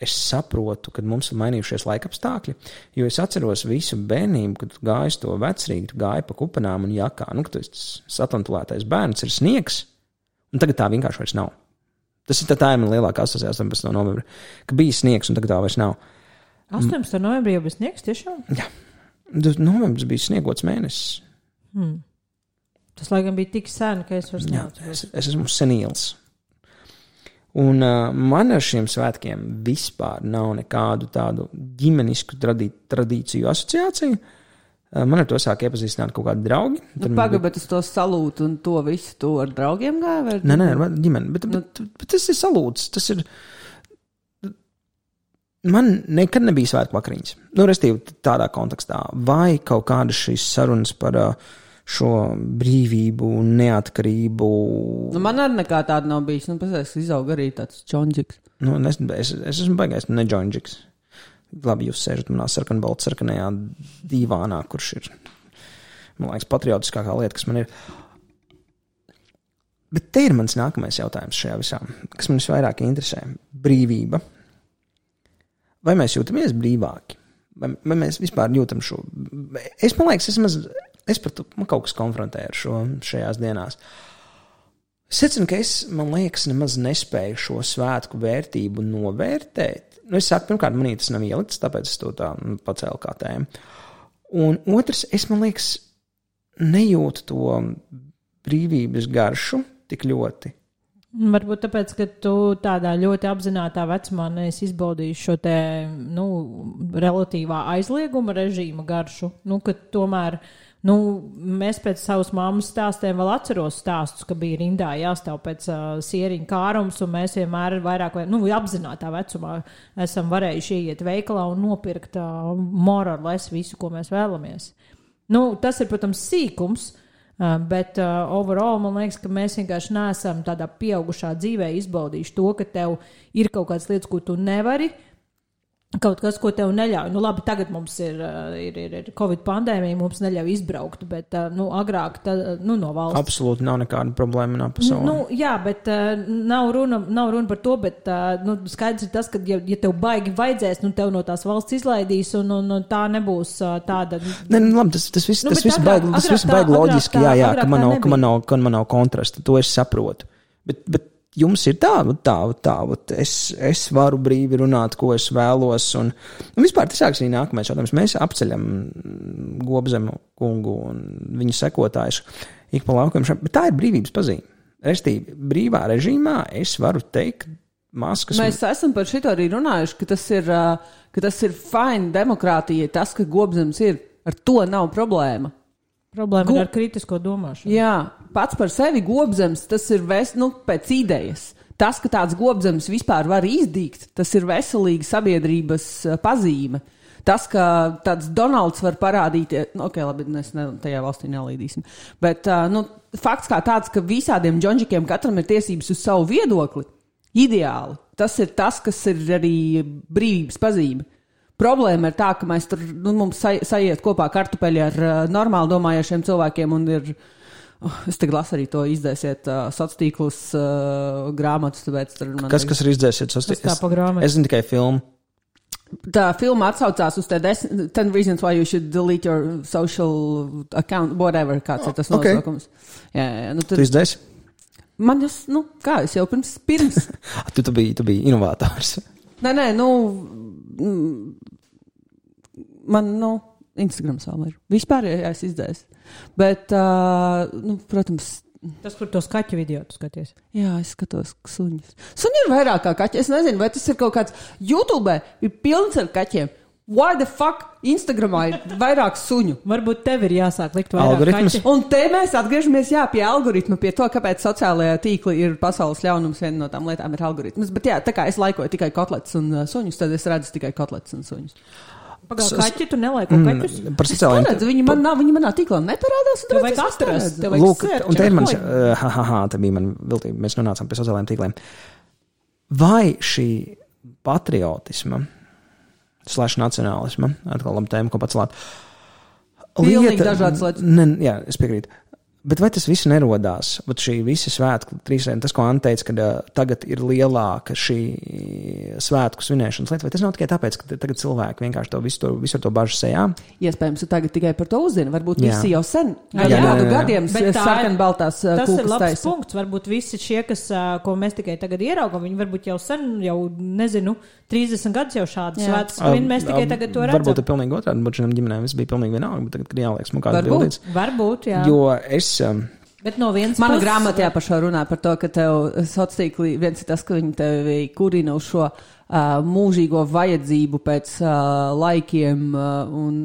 es saprotu, kad mums ir mainījušies laikapstākļi, jo es atceros visu bērnību, kad gāju to vecrīgi, tu gāji pa kupenām un jakā, ka tu esi satlantulētais bērns, ir sniegs, un tagad tā vienkārši vairs nav. Tā ir man lielākā asociācija 18. novembri, ka bija sniegs un tagad tā vairs nav. 18. novembrī jau bija sniegs tiešām? Jā. Novembris bija sniegots mēnesis. Tas, laikam, bija tik sen, ka es vairs neatceros. Es esmu senīls. Un man ar šiem svētkiem vispār nav nekādu tādu ģimenisku tradīciju asociāciju. Man ar to sāk iepazīstināt kaut kādi draugi. Bet uz to salūtu un to visu to ar draugiem gāja? Nē, ar ģimeni. Bet tas ir salūts. Tas ir... Man nekad nebija svētku vakariņas. Restīvi tādā kontekstā. Vai kaut kādas šīs sarunas par šo brīvību, neatkarību. Man arī nekā tāda nav bijis. Pēc izauga arī tāds džonģiks. Es esmu baigājis ne džonģiks. Labi, jūs sēžat manā sarkanajā dīvānā, kurš ir, man liekas, patriotiskākā lieta, kas man ir. Bet te ir mans nākamais jautājums šajā visā, kas man visvairāk interesē. Brīvība. Vai mēs jūtamies brīvāki? Vai mēs vispār jūtam šo? Man liekas, man kaut kas konfrontē ar šo šajās dienās. Es secinu, ka man liekas, nemaz nespēju šo svētku vērtību novērtēt. Es saku, pirmkārt, manī tas nav ielikts, tāpēc es to tā pacēlu kā tēmu. Un otrs, man liekas, nejūtu to brīvības garšu tik ļoti. Varbūt tāpēc, ka tu tādā ļoti apzinātā vecumā neesi izbaudījis šo te, relatīvā aizlieguma režīma garšu, ka tomēr, mēs pēc savas mammas stāstiem vēl atceros stāstus, ka bija rindā jāstāv pēc sieriņa kārums, un mēs vienmēr vairāk, apzinātā vecumā esam varējuši ieiet veikalā un nopirkt more or less visu, ko mēs vēlamies. Tas ir, protams, sīkums, bet overall man liekas, ka mēs vienkārši neesam tādā pieaugušā dzīvē izbaudījuši to, ka tev ir kaut kādas lietas, ko tu nevari, kaut kas, ko tev neļauj. Labi, tagad mums ir Covid pandēmija, mums neļauj izbraukt, bet, agrāk, no valsts. Absolūti nav nekāda problēma manā pasaulē. Jā, bet nav runa par to, bet, skaidrs ir tas, ka, ja tev baigi vajadzēs, tev no tās valsts izlaidīs, un tā nebūs tāda. Labi, tas viss baigi loģiski, jā, ka man nav kontrasta, to es saprotu. Bet jums ir tā, es varu brīvi runāt, ko es vēlos, un vispār tas sāks arī nākamais jautājums. Mēs apceļam Gobzemu kungu un viņu sekotājus ik pa laukiem, bet tā ir brīvības pazīme. Restīvi, brīvā režīmā es varu teikt maskas. Mēs esam par šito arī runājuši, ka tas ir fine demokrātija, tas, ka Gobzems ir, ar to nav problēma. Problēma ir ar kritisko domāšanu. Jā, pats par sevi Gobzems, tas ir pēc idejas. Tas, ka tāds Gobzems vispār var izdīgt, tas ir veselīga sabiedrības pazīme. Tas, ka tāds Donalds var parādīties, labi, mēs tajā valstī nelīdīsim, bet fakts kā tāds, ka visādiem džonģikiem katram ir tiesības uz savu viedokli, ideāli. Tas ir tas, kas ir arī brīvības pazīme. Problēma ir tā, ka mēs tur, mums sajiet kopā kartupeļi ar normāli domājošiem cilvēkiem un ir, es tagad lasu arī to izdēsiet sociālos grāmatus, tāpēc tur man... Kas ir izdēsiet sociālos? Es zinu tikai filmu. Tā filma atsaucās uz 10 reasons why you should delete your social account, whatever, kāds ir tas nosaukums. Jā, tu izdēsi? Man es jau pirms. tu biji inovators. Nē, man, Instagrams vēl ir. Vispār, ja es izdēs. Bet, protams... Tas, kur tos kaķu video tu skaties. Jā, es skatos suņus. Suņi ir vairāk kā kaķi. Es nezinu, vai tas ir kaut kāds... YouTube ir pilns ar kaķiem. Why the fuck Instagramā ir vairāk suņu? Varbūt tev ir jāsāk likt vairāk kaķi. Un te mēs atgriežamies, pie algoritma, pie to, kāpēc sociālajā tīkli ir pasaules ļaunums. Viena no tām lietām ir algoritmas. Bet jā, tā kā es laikoju tikai kotlets un suņus, tad es redzu tikai kotlets un suņus. Pagāju, kaķi, tu nelaiko kaķus? Par sociālajiem... Viņi manā tīklā neparādās. Tev vajag atrast. Lūk, un te ir mans... te bija man viltība. Mēs nonācām pie sociālajiem tīkliem. Vai šī patriotisma / nacionālisma, atkal labi tēma, ko pacelt. Pilnīgi dažādas lietas. Jā, es piekrītu. Bet vai tas viss nerodās? Bet šī visa svētku trīsdiena, tas, ko Anna teica, ka tagad ir lielāka šī svētku svinēšanas lieta, vai tas nav tikai tāpēc, ka tagad cilvēki vienkārši to visu to bažu sejā? Iespējams, tagad tikai par to uzzina. Varbūt visi jau sen gadu gadiem sarkanbaltās kūkas taisa. Tas ir labs punkts. Varbūt visi šie, ko mēs tikai tagad ieraugam, viņi varbūt jau sen, nezinu, 30 gadus jau šādas svētas svin, mēs tikai tagad to redzam. Varbūt ir pilnīgi otrādi, bet šiem ģimenēm viss bija pilnīgi vienalga, bet tagad ir jāliek smukās bildītes. Varbūt, jā. Jo Bet no vienas Mana puses- grāmatā pašā runā par to, ka tev sociālī viens ir tas, ka viņi tevi kurina uz šo mūžīgo vajadzību pēc laikiem un,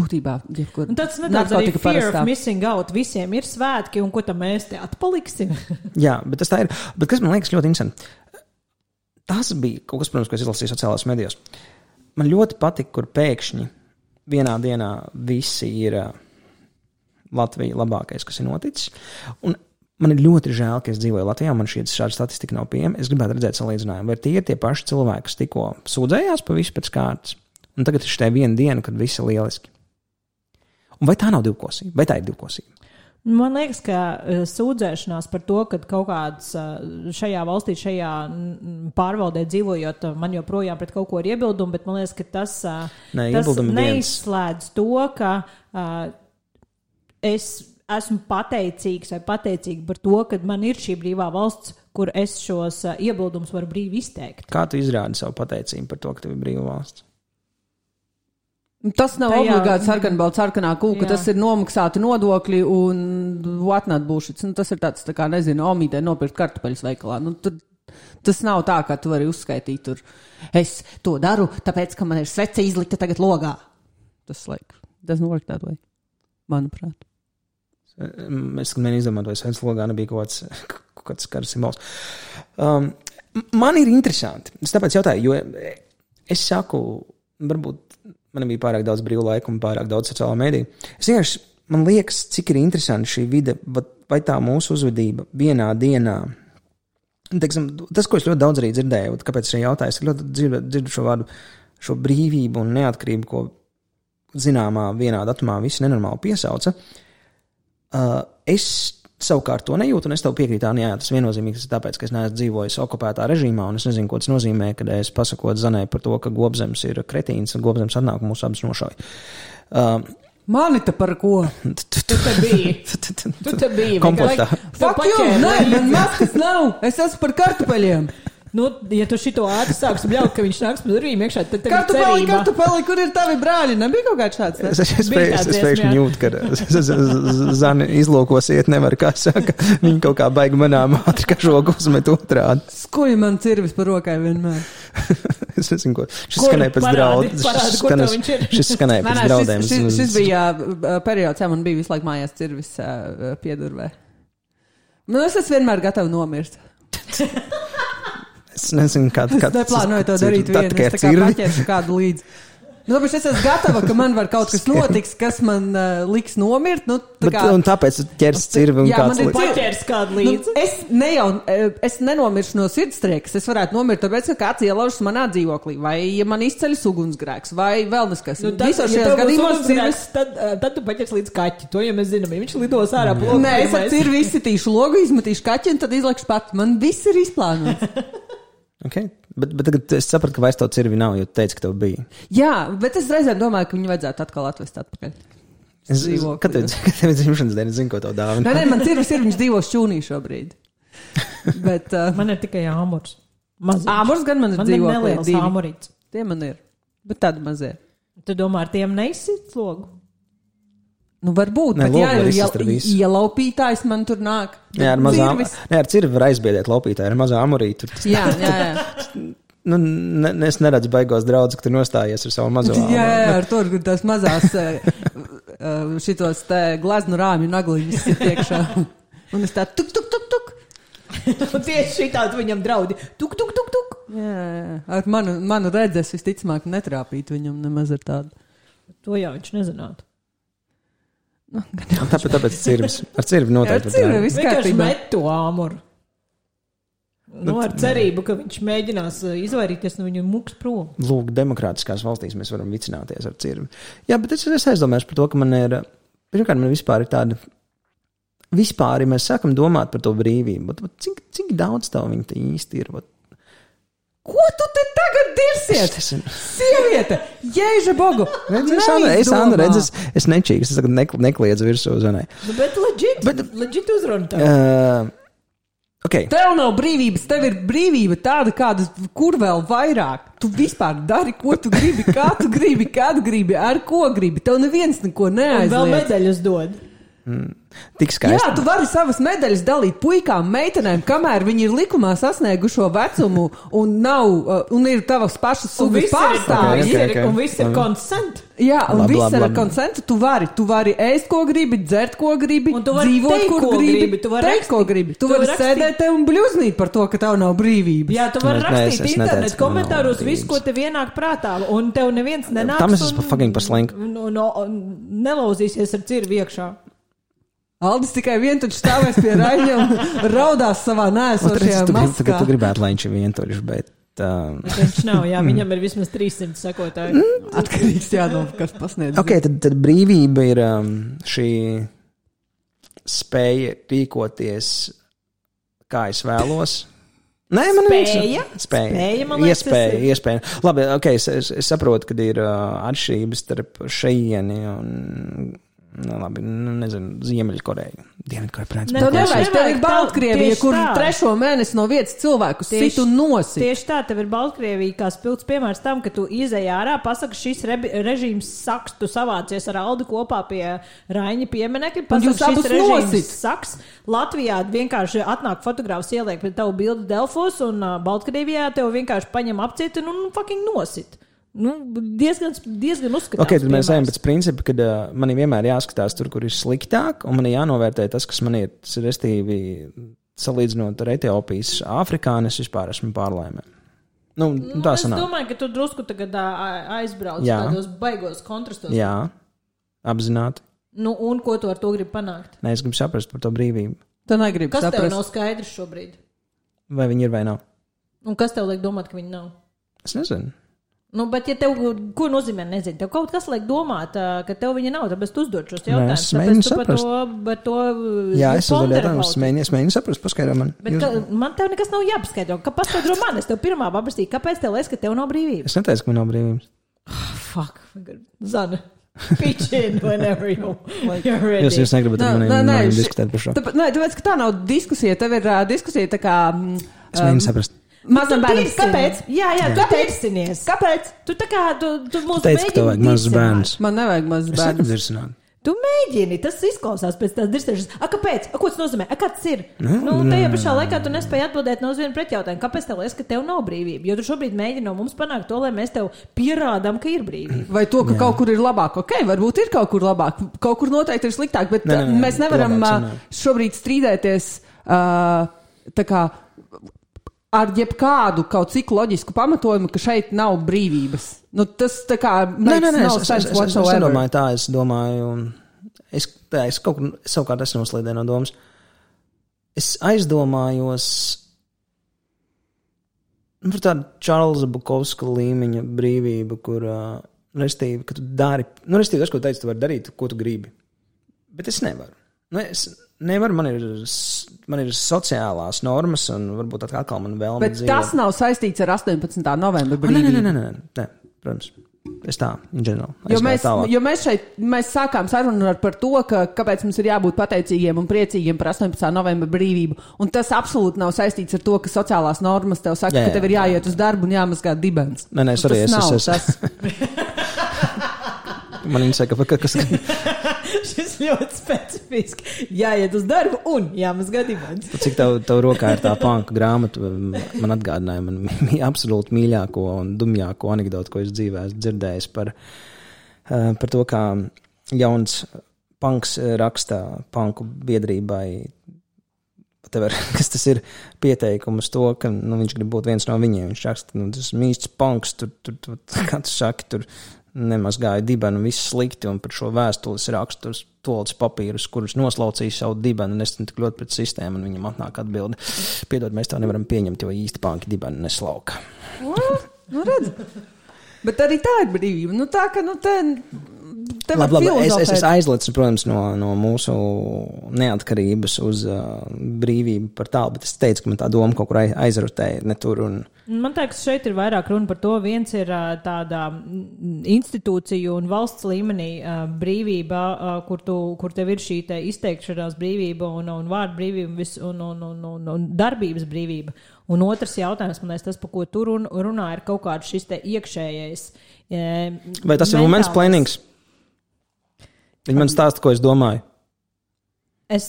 būtībā, jebkur. Un tāds nedaudz arī fear of missing out. Visiem ir svētki, un ko tam mēs te atpaliksim? Jā, bet tas tā ir. Bet kas man liekas ļoti interesanti? Tas bija kaut kas, protams, ko es izlasīju sociālās medijos. Man ļoti patika, kur pēkšņi vienā dienā visi ir Latvija labākais, kas ir noticis. Un man ir ļoti žēl, ka es dzīvoju Latvijā, man šāda statistika nav pieejama. Es gribētu redzēt salīdzinājumu, vai tie ir tie paši cilvēki, kas tikko sūdzējās pa visu pēc kārtas. Un tagad ir šī viena diena, kad viss ir lieliski. Un vai tā nav divkosība? Vai tā ir divkosība? Man liekas, ka sūdzēšanās par to, ka kaut kāds šajā valstī, šajā pārvaldē dzīvojot, man joprojām pret kaut ko ir iebildumi, bet man liekas, ka tas neizslēdz to, ka es esmu pateicīgs vai pateicīga par to, ka man ir šī brīvā valsts, kur es šos iebildumus varu brīvi izteikt. Kā tu izrādi savu pateicību par to, ka tev ir brīvā valsts? Tas nav obligāti sarkanā kūka, tas ir nomaksāti nodokļi un whatnot bullshit. Tas ir tāds, tā kā, nezinu, omītē nopirkt kartupeļus veikalā. Tas nav tā, kā tu vari uzskaitīt tur. Es to daru, tāpēc, ka man ir svece izlikta tagad logā. Tas doesn't work that way, manuprāt. Es mēģinu izdomāt, vai sveic logā nebija kaut kāds karas simbols. Man ir interesanti. Es tāpēc jautāju, jo es saku, varbūt man bija pārāk daudz brīvu laiku un pārāk daudz sociālā mēdī. Es vienkārši, man liekas, cik ir interesanti šī vide, vai tā mūsu uzvedība vienā dienā. Teiksim, tas, ko es ļoti daudz arī dzirdēju, kāpēc es arī jautāju, es ļoti dzirdu šo vārdu, šo brīvību un neatkarību, ko zināmā vienā datumā visi nenormāli piesauca. Es savukārt to nejūtu, un es tev piekrītu, jā, tas viennozīmīgi tas ir tāpēc, ka es neesmu dzīvojis okupētā režīmā, un es nezinu, ko tas nozīmē, kad es pasakot Zanai par to, ka Gobzems ir kretīns, un Gobzems atnāk un mūs abas nošauj. Mani te par ko? Tu te biji. Tu te biji. Komplektā. Fuck you, nē, man maskas nav. Es esmu par kartupeļiem. Ja tu šito ātri sāksi bļaut, ka viņš nāks par durvīm iekšā, tad tev ir cerība. Kartupeli, kur ir tavi brāļi? Nebija kaut kāds šāds? Es pēkšņi jūtu, ka Zani izlūkos iet nevar, kā saka. Viņa kaut kā baigi manām ātri, ka žogu uzmet otrādi. Skuja man cirvis par rokai vienmēr. Es nezinu, ko. Šis skanēja pēc draudiem. Šis skanēja pēc draudiem. Šis bija periods, jā, man bija visu laiku mājās cirvis piedurvē. Es esmu vienmēr gatava nomirt. Es nezinu, kāda es neplānoju to darīt vienu, es tā kā paķeršu kādu līdzi. Tāpēc es esmu gatava, ka man var kaut kas notiks, kas man liks nomirt. Un tāpēc ķers cirvi un kāds līdzi. Paķers kādu līdzi. Es nenomiršu no sirdstriekas. Es varētu nomirt, tāpēc, ka kāds ielaužas manā dzīvoklī. Vai ja man izceļas ugunsgrēks. Vai vēl neskas. Visos šajās gadījumos cirvis. Tad tu paķers līdz kaķi. To jau mēs zinām. Viņš lidos ārā plogu. Nē, es ar cirvi izsitīšu logu, izmetīšu kaķi un tad izlekšu pats. Man viss ir izplānots. Okay. Bet tagad es sapratu, ka vairs to cirvi nav, jo tu teici, ka tev bija. Jā, bet es reizēm domāju, ka viņu vajadzētu atkal atvest atpakaļ. Kad tev ir dzimšanas diena, es zinu, ko tev dāvina. Nē, man cirvis ir, viņš dzīvo šķūnī šobrīd. Bet, man ir tikai āmurs. Āmurs gan man ir dzīvo. Man ir neliels āmurīts. Tie man ir, bet tādi mazie. Tu domā, ar tiem neizsit logu? Varbūt, ne, bet ja laupītājs man tur nāk. Jā, ar cirvi var aizbiedēt laupītāju, ar mazā amurītu. Jā. Es neredzu baigos draudz, ka tu nostājies ar savu mazo amuru. Jā, ar to, kur tās mazās šitos te glaznu rāmju nagliņas ir iekšā. Un es tā tuk. Un tieši šitādi viņam draudi. Tuk. Jā. Ar manu redzes visticamāk netrāpīt viņam nemaz ar tādu. To jau viņš nezinātu. Tāpēc cirvis. Ar cirvi noteikti. Ar cirvi viss kārtībā. Vienkārši met to āmuru. Ar cerību, ka viņš mēģinās izvairīties no viņu muks prom. Lūk, demokrātiskās valstīs mēs varam vicināties ar cirvi. Jā, bet es aizdomāju par to, ka man ir, pirmkārt, man vispār ir tāda, ja mēs sākam domāt par to brīvību, cik daudz tev viņa te īsti ir? Ko tu te tagad dirsiet? Sieviete, jēža bogu. Es nečīgu, es tagad nekliedzu virsū Zanai. Bet legit uzrunu tev. Okay. Tev nav brīvības, tev ir brīvība tāda, kāda, kur vēl vairāk. Tu vispār dari, ko tu gribi, kā tu gribi, kādu gribi, ar ko gribi. Tev neviens neko neaizliedz. Un vēl medaļas dod. Tik skaisti. Jā, tu vari savas medaļas dalīt puikām, meitenēm, kamēr viņi ir likumā sasniegušo vecumu un ir tavas pašas sugas pārstāvis. Un viss ir consent. Jā, un viss ir konsentu. Tu vari ēst, ko gribi, dzert, ko gribi, dzīvot, kur gribi, teikt, ko gribi. Tu vari sēdēt te un bļuznīt par to, ka tev nav brīvības. Jā, tu vari rakstīt internet komentāros visu, ko tev ienāk prātā, un tev neviens nenāks. Tam es esmu fucking par slinku. Nelauzīsies ar cirvi iekšā. Aldis tikai vientuļš stāvēs pie Raņa un raudās savā nēsošajā maskā. Tu gribētu, lai viņš ir vientuļš, bet... Viņš nav, jā, viņam ir vismaz 300 sekotāji. Atkarīgs jāno, kas pasniedz. Ok, tad brīvība ir šī spēja rīkoties, kā es vēlos. Nē, man spēja, man liekas, iespēja. Labi, ok, es saprotu, ka ir atšķirības starp šeieni un... labi, nezinu, Ziemeļkoreju. Dienvidkoreja, tev nevajag, tev ir Baltkrievija, kur 3. mēnesi no vietas cilvēku sit un nosit. Tieši tā, tev ir Baltkrievija kā spilgts piemērs tam, ka tu izej ārā, pasaka, šis režīms saks, tu savācies ar Aldi kopā pie Raņa pieminekļa, pasaka, šis režīms saks. Latvijā vienkārši atnāk fotogrāfs ieliek pie tavu bildu Delfos, un Baltkrievijā tev vienkārši paņem apcieti un fucking nosit. Diezgan uzskatās. Ok, tad mēs ejam pēc principa, ka man vienmēr jāskatās tur, kur ir sliktāk, un man jānovērtē tas, kas man ir, restīvi, salīdzinot ar Etiopijas afrikāni, es vispār esmu pārlaimē. Tā sanāk. Es domāju, ka tu drusku tagad aizbrauc tādos baigos kontrastos. Jā, apzināti. Un ko tu ar to gribi panākt? Nē, es gribu saprast par to brīvību. Tu negribi saprast. Kas tev nav skaidrs šobrīd? Vai viņi ir vai nav? Un kas tev liek domāt, ka viņi nav? Es nezinu. Bet ja tev, ko nozīmē, nezinu, tev kaut kas liek domāt, ka tev viņa nav, tāpēc tu uzdod šos jautājumus. Tāpēc tu par to jā, es uzdodu jautājumus, es mēģinu saprast, paskaidro man. Bet man tev nekas nav jāpaskaidro. Paskaidro man, es tev pirmā paprastīju, kāpēc tev liekas, ka tev nav brīvības? Es neteicu, ka man nav brīvības. Fuck, Zana. Pitch in whenever you're ready. Jūs negribat ar maniem diskutēt par šo. Tāpēc, ka tā nav diskusija, tev ir diskusija tā kā... Es mēģinu saprast. Mazam bērnam. Kāpēc? Jā, tu teicinies. Kāpēc? Tu tā kā, tu mūs teici, ka tev vajag mazs bērns. Man nevajag mazs bērns. Es negribu dirsināt. Tu mēģini, tas izklausās pēc tās dirsēšanas. Kāpēc? Ko tas nozīmē? Kāds ir? Tajā pašā laikā tu nespēji atbildēt no uz vienu pretjautājumu. Kāpēc tev liekas, ka tev nav brīvība? Jo tu šobrīd mēģini no mums panākt to, lai mēs tev pierādām, ka ir brīvība. Vai to, ka kaut kur ir labāk? Ok, varbūt ir kaut kur labāk. Kaut kur noteikti ir sliktāk, bet mēs nevaram šobrīd strīdēties tā kā ar jebkādu kaut cik loģisku pamatojumu, ka šeit nav brīvības. Tas tā kā... Nē, es nedomāju tā, es domāju... Es savukārt esmu noslīdē no domas. Es aizdomājos par tādu Čārlza Bukovska līmeņa brīvību, kur, restīvi, ka tu dari... restīvi, tas, ko teici, tu vari darīt, ko tu gribi. Bet es nevaru. Nevar, man ir sociālās normas un varbūt atkal man vēlme dzīvot. Bet tas nav saistīts ar 18. novembra brīvību. Nē, protams. Es tā, in general. Jo mēs sākām sarunu par to, kāpēc mums ir jābūt pateicīgiem un priecīgiem par 18. novembra brīvību. Un tas absolūti nav saistīts ar to, ka sociālās normas tev saka, ka tev ir jāiet uz darbu un jāmazgā dibens. Nē, sorry, tas. Man viņa saka, kas... Šis ļoti specifiski. Jāiet uz darbu un jāmazgā dibens. Cik tev rokā ir tā panka grāmata, man atgādināja man absolūti mīļāko un dumjāko anekdotu, ko es dzīvē esmu dzirdējis par to, kā jauns panks raksta panku biedrībai, kas tas ir pieteikums to, ka viņš grib būt viens no viņiem. Viņš raksta, tas mīsts panks, tur kā tu saki, tur nemazgāja dibenu, viss slikti, un par šo vēstules rakstu uz toaletes papīrus, kurus noslaucīja savu dibenu, un es tik ļoti pret sistēmu, un viņam atnāk atbildi. Piedod, mēs tā nevaram pieņemt, jo īsti panki dibenu neslauka. Redz. Bet arī tā ir brīvība. Tā, ka, Labi, es aizlicu, protams, no mūsu neatkarības uz brīvību par tālu, bet es teicu, ka man tā doma kaut kur aizrutēja, ne tur un... Man liekas, šeit ir vairāk runa par to. Viens ir tāda institūciju un valsts līmenī brīvība, kur tev ir šī te izteikšanās brīvība un vārdu brīvība un darbības brīvība. Un otrs jautājums, man liekas, tas, par ko tu runā, ir kaut kāds šis te iekšējais. Vai tas ir moments plēnings? Viņi man stāsta, ko es domāju. Es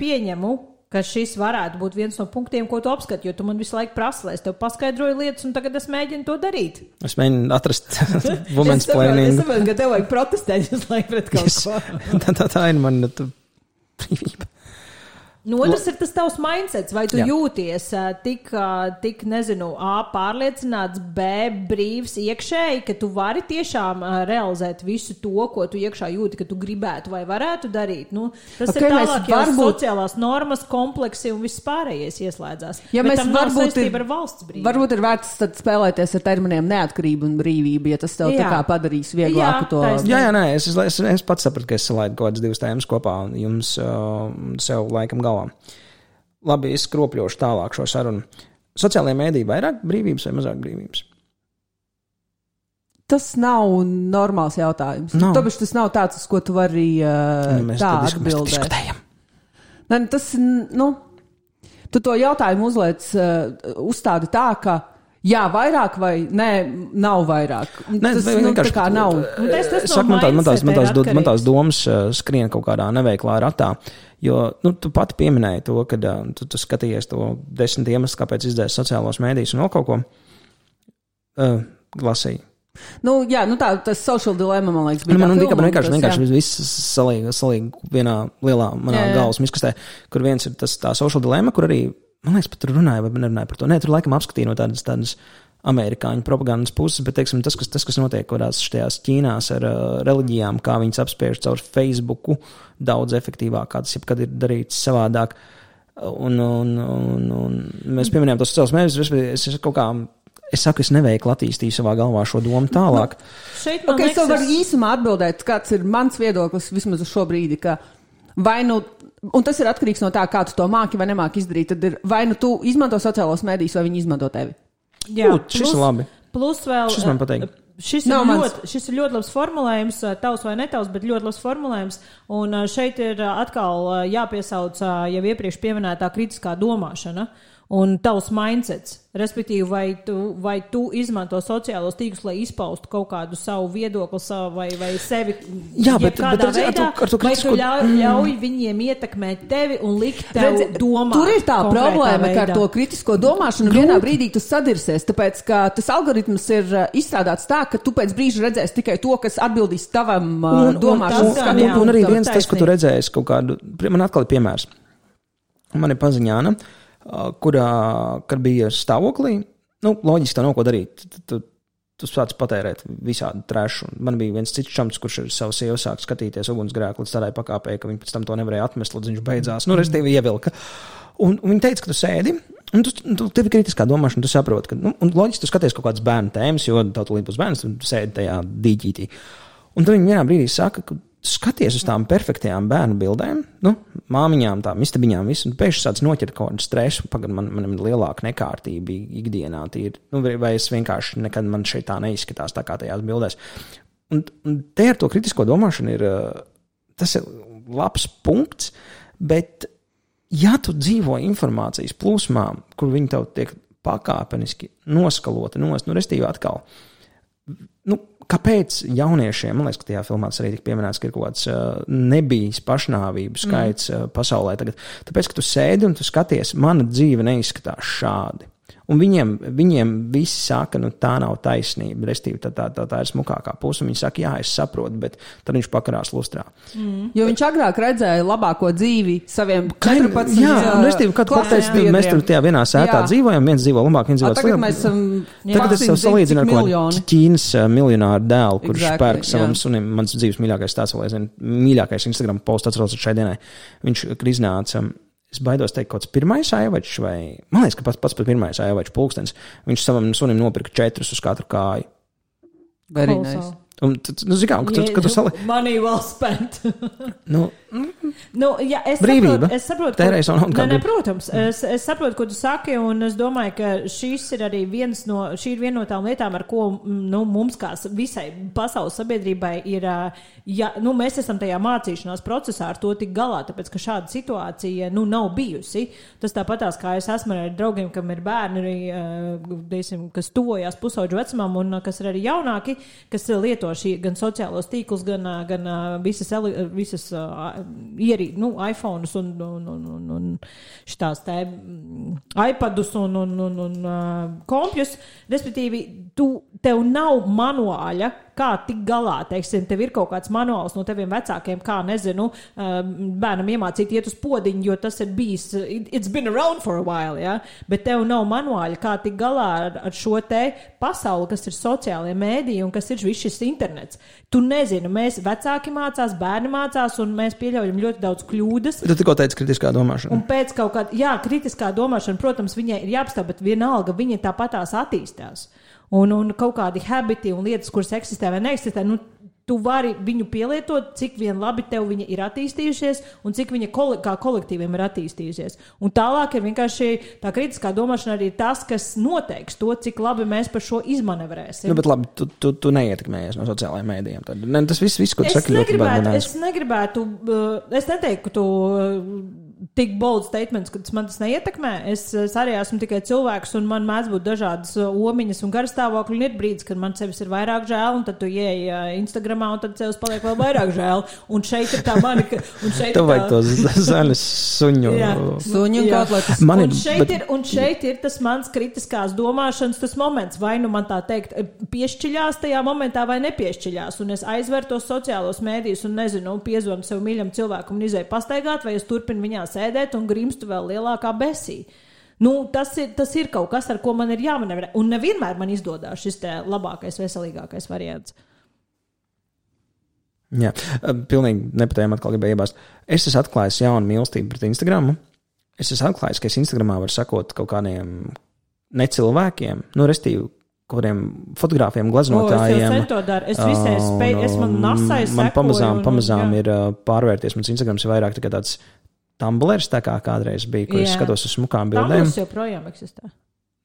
pieņemu, ka šis varētu būt viens no punktiem, ko tu apskati, jo tu man visu laiku prasi, lai es tev paskaidroju lietas, un tagad es mēģinu to darīt. Es mēģinu atrast women's planning. Es saprotu, ka tev vajag protestēt visu laiku pret kaut ko. Tā ir mana brīvība. Otrs ir tas tavs mindsets, vai tu jūties tik, nezinu, A, pārliecināts, B, brīvs iekšēji, ka tu vari tiešām realizēt visu to, ko tu iekšā jūti, ka tu gribētu vai varētu darīt. Tas ir tālāk, jau sociālās normas, kompleksi un viss pārējais ieslēdzās. Ja bet tam nav varbūt saistība ar valsts brīvību. Varbūt ir vērts tad spēlēties ar terminiem neatkarība un brīvība, ja tas tev tā kā padarīs vieglāku to. Jā, es pats sapratu, ka es salaidu kaut kādas divas tēmas kopā un jums sev laikam galvā. Labi, es skropļošu tālāk šo sarunu. Sociālajā mēdī vairāk brīvības vai mazāk brīvības? Tas nav normāls jautājums. No. Tāpēc tas nav tāds, uz ko tu vari tā atbildēt. Ne, tas, tu to jautājumu uzstādi tā, ka jā, vairāk vai nē, nav vairāk. Tas tā kā nav. Man tās domas skrien kaut kādā neveiklā ratā, jo tu pati pieminēji to, kad tu skatījies to 10 iemeslus, kāpēc izdēs sociālos mēdījus un vēl kaut ko lasīju. Tas social dilemma, man liekas, bija man vienkārši viss salīga vienā lielā manā galvas miskastē, kur viens ir tā social dilemma, kur arī man liekas, pat tur runāja, vai nerunāja par to. Nē, tur laikam apskatīja no tādas amerikāņu propagandas puses, bet, teiksim, tas, kas notiek kādās šajās Ķīnās ar reliģijām, kā viņas apspiež caur Facebooku daudz efektīvāk, kā tas jebkad ir darīts savādāk. Un mēs pieminējām tos sociālos mēdījus, es saku, es neveikli attīstīju savā galvā šo domu tālāk. Es tev varu īsumā atbildēt, kāds ir mans viedoklis vismaz uz šo brīdi, ka vai un tas ir atkarīgs no tā, kā tu to māki vai nemāki izdarīt. Tad ir vai tu izmanto sociālos mēdījus, vai viņi izmanto tevi. Jā, šis ir labi. Plus vēl. Šis man patīk. Šis ir ļoti labs formulējums, tavs vai netavs, bet ļoti labs formulējums. Un šeit ir atkal jāpiesauc jau iepriekš pieminētā kritiskā domāšana un tavs mindsets. Respektīvi, vai tu izmanto sociālos tīklus, lai izpaustu kaut kādu savu viedokli vai sevi kādā veidā, vai tu ļauj viņiem ietekmēt tevi un likt tev domāt. Tur ir tā problēma, ka ar to kritisko domāšanu vienā brīdī tu sadirsies, tāpēc, ka tas algoritms ir izstrādāts tā, ka tu pēc brīža redzēsi tikai to, kas atbildīs tavam domāšanas. Un arī viens tas, ko tu redzēsi kaut kādu, man atkal ir piemērs. Man ir paziņāna, kad bija stāvoklī, loģiski tā nav ko darīt. Tu sāc patērēt visādi trešu. Man bija viens cits čamps, kurš ar savu sievu sāk skatīties ugunsgrēku līdz tādai pakāpē, ka viņi pēc tam to nevarēja atmest, līdz viņš beidzās. Restīvi ievilka. Un viņi teica, ka tu sēdi, un tev ir kritiskā domāšana, tu saproti, ka, un loģiski tu skaties kaut kādas bērnu tēmas, jo tev līdz būs bērns, tu sēdi tajā dīķītī. Un tad viņi vienā brīdī saka, ka skaties uz tām perfektajām bērnu bildēm, māmiņām, tām istabiņām, visu, un pēkšņi sāc noķert kaut kādu stresu, man ir lielāka nekārtība ikdienā, vai es vienkārši nekad man šeit tā neizskatās tā kā tajās bildēs. Un te ar to kritisko domāšanu tas ir labs punkts, bet ja tu dzīvo informācijas plūsmā, kur viņi tev tiek pakāpeniski noskalota, restīvi atkal, kāpēc jauniešiem, man liekas, ka tajā filmā tas arī tika pieminēts, ka ir kaut kāds nebijis pašnāvību skaits pasaulē tagad. Tāpēc, ka tu sēdi un tu skaties, mana dzīve neizskatās šādi. Un viņiem visi saka, tā nav taisnība, restīvi tā ir smukākā puse. Viņi saka, jā, es saprotu, bet tad viņš pakarās lustrā. Jo viņš agrāk redzēja labāko dzīvi saviem 14 jā, restīvi, kad mēs tur tajā vienā sētā dzīvojam, viens dzīvo labāk, viens dzīvo sliktāk. Tagad es sev salīdzinu ar kaut Ķīnas miljonāru dēlu, kurš pērk savam sunim, mans dzīves mīļākais tāds, mīļākais Instagram posts atceros šai dienai. Viņš iznāca. Es baidos teikt, kaut kāds pirmais aivačs, vai man liekas, ka pats pirmais aivačs pulkstens. Viņš savam sunim nopirka 4 uz katru kāju. Very nice. Un, kad tu salīdzi. Money well spent. Jā, brīvība. Es saprotu, tērēs un protams, es saprotu, ko tu saki, un es domāju, ka šī ir viena no tām lietām, ar ko mums kā visai pasaules sabiedrībai ir, mēs esam tajā mācīšanās procesā ar to tik galā, tāpēc, ka šāda situācija, nav bijusi. Tas tāpatās, kā es esmu ar draugiem, kam ir bērni, kas tuvojās pusauģu vecumam un kas ir arī jaunāki, kas lieto šī gan sociālos tīklus, gan visas iPhones un šitās te iPadus un kompjus, respektīvi, tev nav manuāļa, kā tik galā, teiksim, tev ir kaut kāds manuāls no teviem vecākiem, kā, nezinu, bērnam iemācīt iet uz podiņu, jo tas ir bijis, it's been around for a while, ja? Bet tev nav manuāļa, kā tik galā ar šo te pasauli, kas ir sociālie mēdīji un kas ir viss šis internets. Tu nezini, mēs vecāki mācās, bērni mācās un mēs pieļaujam ļoti daudz kļūdas. Tu tikko teici kritiskā domāšana. Un pēc kaut kāda, kritiskā domāšana, protams, viņai ir jāapstāv, bet vienalga viņa tāpatās attīstās. Un kaut kādi habiti un lietas, kuras eksistē vai neeksistē, tu vari viņu pielietot, cik vien labi tev viņa ir attīstījušies un cik viņa kā kolektīviem ir attīstījusies. Un tālāk ir vienkārši tā kritiskā domāšana arī tas, kas noteiks to, cik labi mēs par šo izmanevrēsim. Bet labi, tu neietekmējies no sociālajiem mēdījiem. Tad, tas viss, ko tu saki, ļoti es negribētu, es neteiktu, ka tu tik bold statements, ka man tas neietekmē. Es arī esmu tikai cilvēks un man mēdz būt dažādas omiņas un garstāvokļi un ir brīdis, kad man sevis ir vairāk žēl un tad tu ieej Instagramā un tad sevis paliek vēl vairāk žēl. Un šeit ir tā mani... Tev vajag tos zaļus suņu. Suņu un kotletes. Un šeit ir tas mans kritiskās domāšanas tas moments. Vai nu man tā teikt piešķiļās tajā momentā vai nepiešķiļās. Un es aizveru tos sociālos mēdījus un nezinu, piezvanu sev mīļam cilvēkam un izēju pastaigāt vai es turpinu viņā sēdēt un grimstu vēl lielākā besī. Tas ir kaut kas, ar ko man ir jāmanevrē. Un nevienmēr man izdodās šis te labākais, veselīgākais variants. Jā, pilnīgi nepatējām atkal gribēju iebāzt. Es esmu atklājis jaunu mīlestību pret Instagramu. Es esmu atklājis, ka es Instagramā varu sakot kaut kādiem necilvēkiem, restīvi, kādiem fotogrāfiem, glaznotājiem. Man pamazām ir pārvērties. Mans Instagrams ir vairāk tāds Tumblrs, tā kā kādreiz bija, kur es skatos uz smukām bildēm. Tumblrs joprojām eksistē.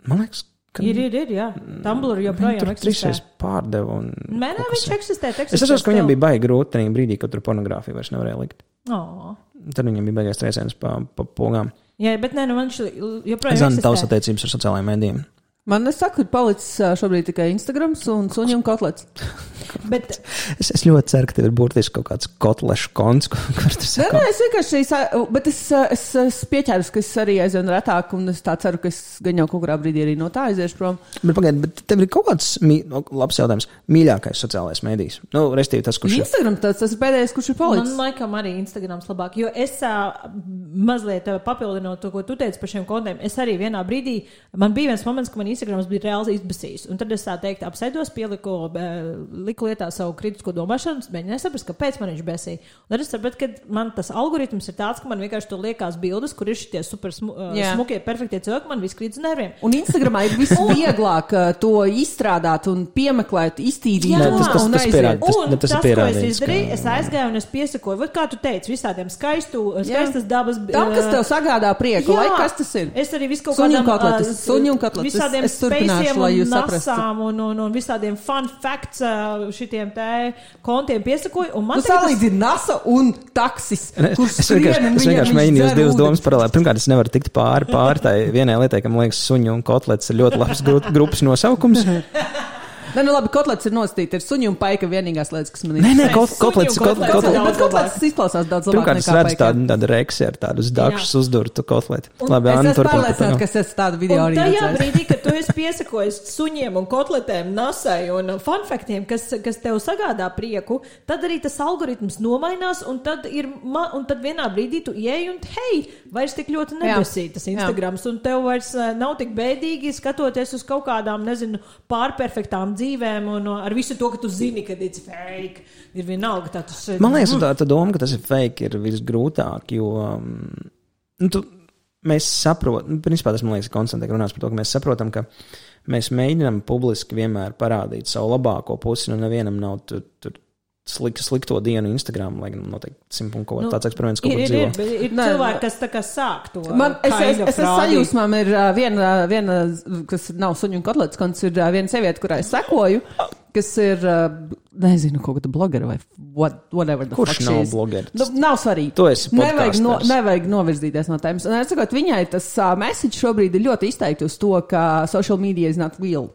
Man liekas, ka... Ir, jā. Tumblr joprojām eksistē. Trīsreiz pārdeva un... Nē, viņš eksistē. Es saprotu, ka viņam bija baigi grūti tajā brīdī, kad tur pornogrāfiju vairs nevarēja likt. Tad viņam bija baigais trieciens pa pogām. Jā, bet man joprojām eksistē. Tavas attiecības ar sociālajiem mēdījiem. Man saka, ka palicis šobrīd tikai Instagrams un suņu un kotlets. Bet... es ļoti ceru, ka tev ir burtiski kaut kāds kotlešu konts, kur tu saki. Nē, es vienkārši, bet es pieķēros, ka es arī aizvienu retāk, un es tā ceru, ka es gan jau kaut kurā brīdī arī no tā aiziešu prom. Bet tev ir kaut kāds labs jautājums, mīļākais sociālais mēdījis. Restīvi tas, kurš Instagram, tas ir pēdējais, kurš ir palicis. Man laikam arī Instagrams labāk, jo es mazliet papildinot to, ko tu teici par šiem kontiem, es arī vienā brīdī, man bija viens moments, ka man Instagrams bija reāli izbasījis. Un tad es tā teikt apsēdos, liku lietā savu kritisko domāšanu, mēģināju saprast, kāpēc man viņš besīja. Un tad es sapratu, ka man tas algoritms ir tāds, ka man vienkārši tur liekas bildes, kur ir šitie super smukie, perfektie cilvēki, man viss krīt uz nerviem. Un Instagramā ir visvieglāk to izstrādāt un piemeklēt, iztīrīt un aiziet. Tas, ko es izdarīju, es aizgāju un es piesakoju, vat kā tu teici, visādiem skaistas dabas. Tam, kas tev sagādā prieku, lai kas tas ir? Es arī visu kaut kādām suņu un kotletes. Visādiem spaciem un nasām un visādiem fun facts šitiem te kontiem piesakoju. Tu salīdzini NASA un taksis, kurš es vienkārši mēģinu jūs divas domas paralēli. Pirmkārt, es nevaru tikt pār tai vienai lietai, ka man liekas suņu un kotlets ir ļoti labs grupas nosaukums. Nē, labi, kotlets ir nostīti. Ir suņu un paika vienīgās lietas, kas man ir. Nē, kotlets izklausās daudz labāk pirmkārt, nekā paika. Pirmkārt, es redzu tādu reksi ar tādu dakšus uzdurtu kotleti. Labi, es esmu pārliecināts, ka es esmu tādu video arī redzējis. Un tajā brīdī, kad tu esi piesakojis suņiem un kotletēm, nasai un funfaktiem, kas tev sagādā prieku, tad arī tas algoritms nomainās un tad vienā brīdī tu ieej un hei, vairs tik ļoti nebesīt tas Instagrams un tev vairs nav tik bēdīgi skatoties uz kaut kādām, nezinu, pārperfektām dzīvēm un ar visu to, ka tu zini, ka it's fake, ir vienalga tā tas... Man liekas, tā doma, ka tas ir fake, ir visgrūtāk, jo mēs saprotam, principā tas, man liekas, konstantīgi runās par to, ka mēs saprotam, ka mēs mēģinām publiski vienmēr parādīt savu labāko pusi, un nevienam nav tur slikto dienu Instagram, lai gan noteikti simtpunko tāds eksperiments kaut kur dzīvo. Ir cilvēki, kas tā kā sāk to. Es sajūsmām ir viena, kas nav suņu un kotlets, kas ir viena sieviete, kurā es sekoju, kas ir, nezinu, kaut kāda blogera vai whatever the fuck she is. Kurš nav blogers? Nav svarīgi. Tu esi podkasters. Nevajag novirzīties no tēmas. Un es sakot, viņai tas message šobrīd ir ļoti izteikti uz to, ka social media is not real.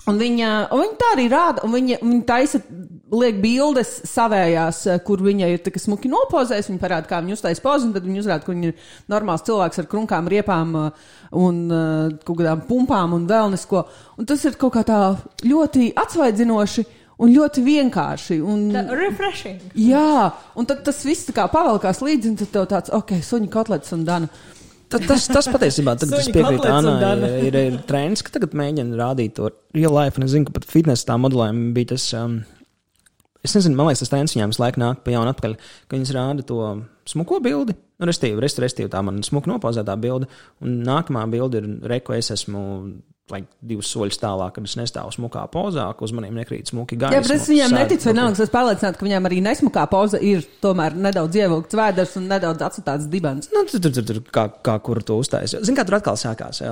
Un viņa tā arī rāda, un viņa taisa liek bildes savējās, kur viņa ir tā smuki nopozējis, viņa parāda, kā viņa uztais pozu, un tad viņa uzrāda, ka viņa ir normāls cilvēks ar krunkām, riepām un kaut kādām pumpām un vēl nesko. Un tas ir kaut kā tā ļoti atsvaidzinoši un ļoti vienkārši. Refreshing. Jā, un tad tas viss tā kā pavalkās līdzi, un tad tev tāds, suņi kotlets un dana. Tas patiesībā, tad es piekrītu Annai, ir trends, ka tagad mēģina rādīt to real life, un es zinu, ka pat fitness tā modelējumi bija tas, es nezinu, man liekas, tas trends viņām visu laiku nāk pa jaunu atpakaļ, ka viņas rāda to smuko bildi, restīvi tā man smuka nopozētā bilde, un nākamā bilde ir reko, es esmu 2 soļus tālāk, kad es nestāvu smukā pozā, ka uz maniem nekrīt smuki gaisma. Jā, bet es viņām neticu, vienalga, es pārliecinātu, ka viņām arī nesmukā poza ir tomēr nedaudz ievilkts vēders un nedaudz atstāts dibens. Nu, tur kā kur to uzstājas. Zin, kā tur atkal sākās,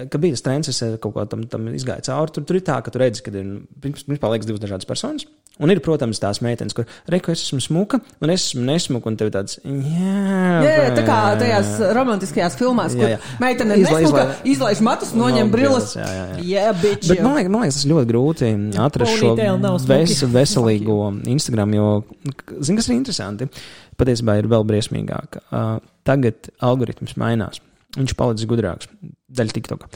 ka bija tas trends, es kaut ko tam izgāju cauri, tur ir tā, ka tu redzi, kad ir, principā liekas 2 dažādas personas, un ir, protams, tās meitenes, kur reku, es esmu smuka, un es esmu nesmuka, un tev tāds, jā, tā kā tajās romantiskajās filmās, kur meitene nesmuka, izlaiž matus, noņem brilles. Jā, bitch. Bet man liekas, tas ļoti grūti atrast šo veselīgo Instagram, jo, zin, kas ir interesanti, patiesībā ir vēl briesmīgāk. Tagad algoritms mainās. Viņš palicis gudrāks. Daļa TikToka.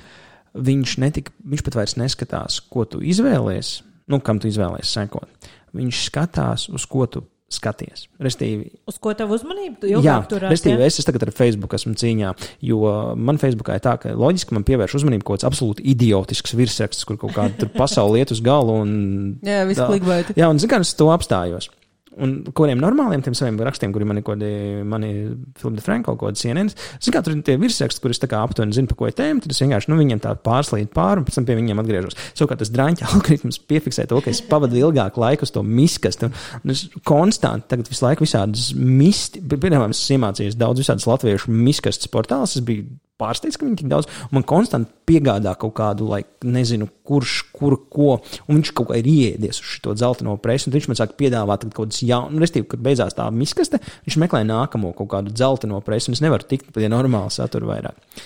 Viņš pat vairs neskatās, ko tu izvēlies, kam tu izvēlies sekot. Viņš skatās, uz ko tu skaties. Restīvi, uz ko tev uzmanību? Jā, restīvi, es tagad ar Facebook esmu cīņā, jo man Facebookā ir tā, ka loģiski man pievērš uzmanību kaut kāds absolūti idiotisks virsraksts, kur kaut kāda pasauli iet uz galu un... Jā, viss klikbaiti. Jā, un zin, kā es to apstājos. Un kuriem normāliem tiem saviem rakstiem, kuri mani Philip de Franko, kaut kāds CNN, zin kā tur ir tie virsraksti, kur es tā kā aptuveni zinu, pa ko ir tēma, tad es vienkārši, viņiem tā pārslīd pāri un pēc tam pie viņiem atgriežos. Savukārt tas draņķa algoritms piefiksē to, ka es pavadu ilgāku laiku uz to miskastu, un es konstanti tagad visu laiku visādas piemēram, es iemācījos daudz visādas latviešu miskastas portāls, es biju pārsteidz, ka viņi tik daudz, un man konstanti piegādā kaut kādu, nezinu, kurš, ko, un viņš kaut kā ir ieiedies uz šito dzelteno presi, un viņš man sāk piedāvāt kaut kādas jaunu, restīvi, kad beidzās tā miskaste, viņš meklē nākamo kaut kādu dzelteno presi, un es nevaru tikt pie normāla satura vairāk.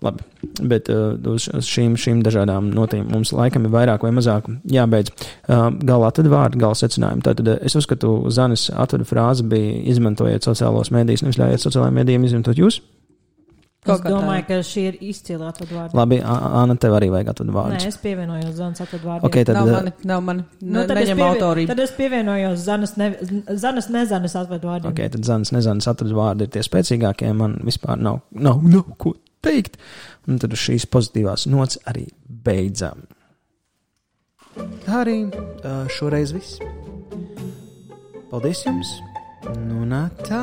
Labi, bet uz šīm dažādām notīm mums laikam ir vairāk vai mazāk jābeidz. Gala atved vārdu, gala secinājumu. Tātad es uzskatu, Zanes atveda frāze bija izmantojiet sociālos mēdījus, nevis ļaujiet sociālajiem mēdījiem izmantot jūs. Es domāju, ka šī ir izcila atved vārdu. Labi, Anna, tev arī vajag atved vārdus. Nē, es pievienojos Zanes atved vārdiem. Okay, tad, nav mani. Neņem autorību. Tad es pievienojos Zanes nezanes atved vārdiem. Ok, tad Zanes nezanes atved vārdi ir tie spēcīgākie, man vispār nav ko teikt. Un tad uz šīs pozitīvās nots arī beidzam. Tā arī šoreiz viss. Paldies jums. Nu, tā.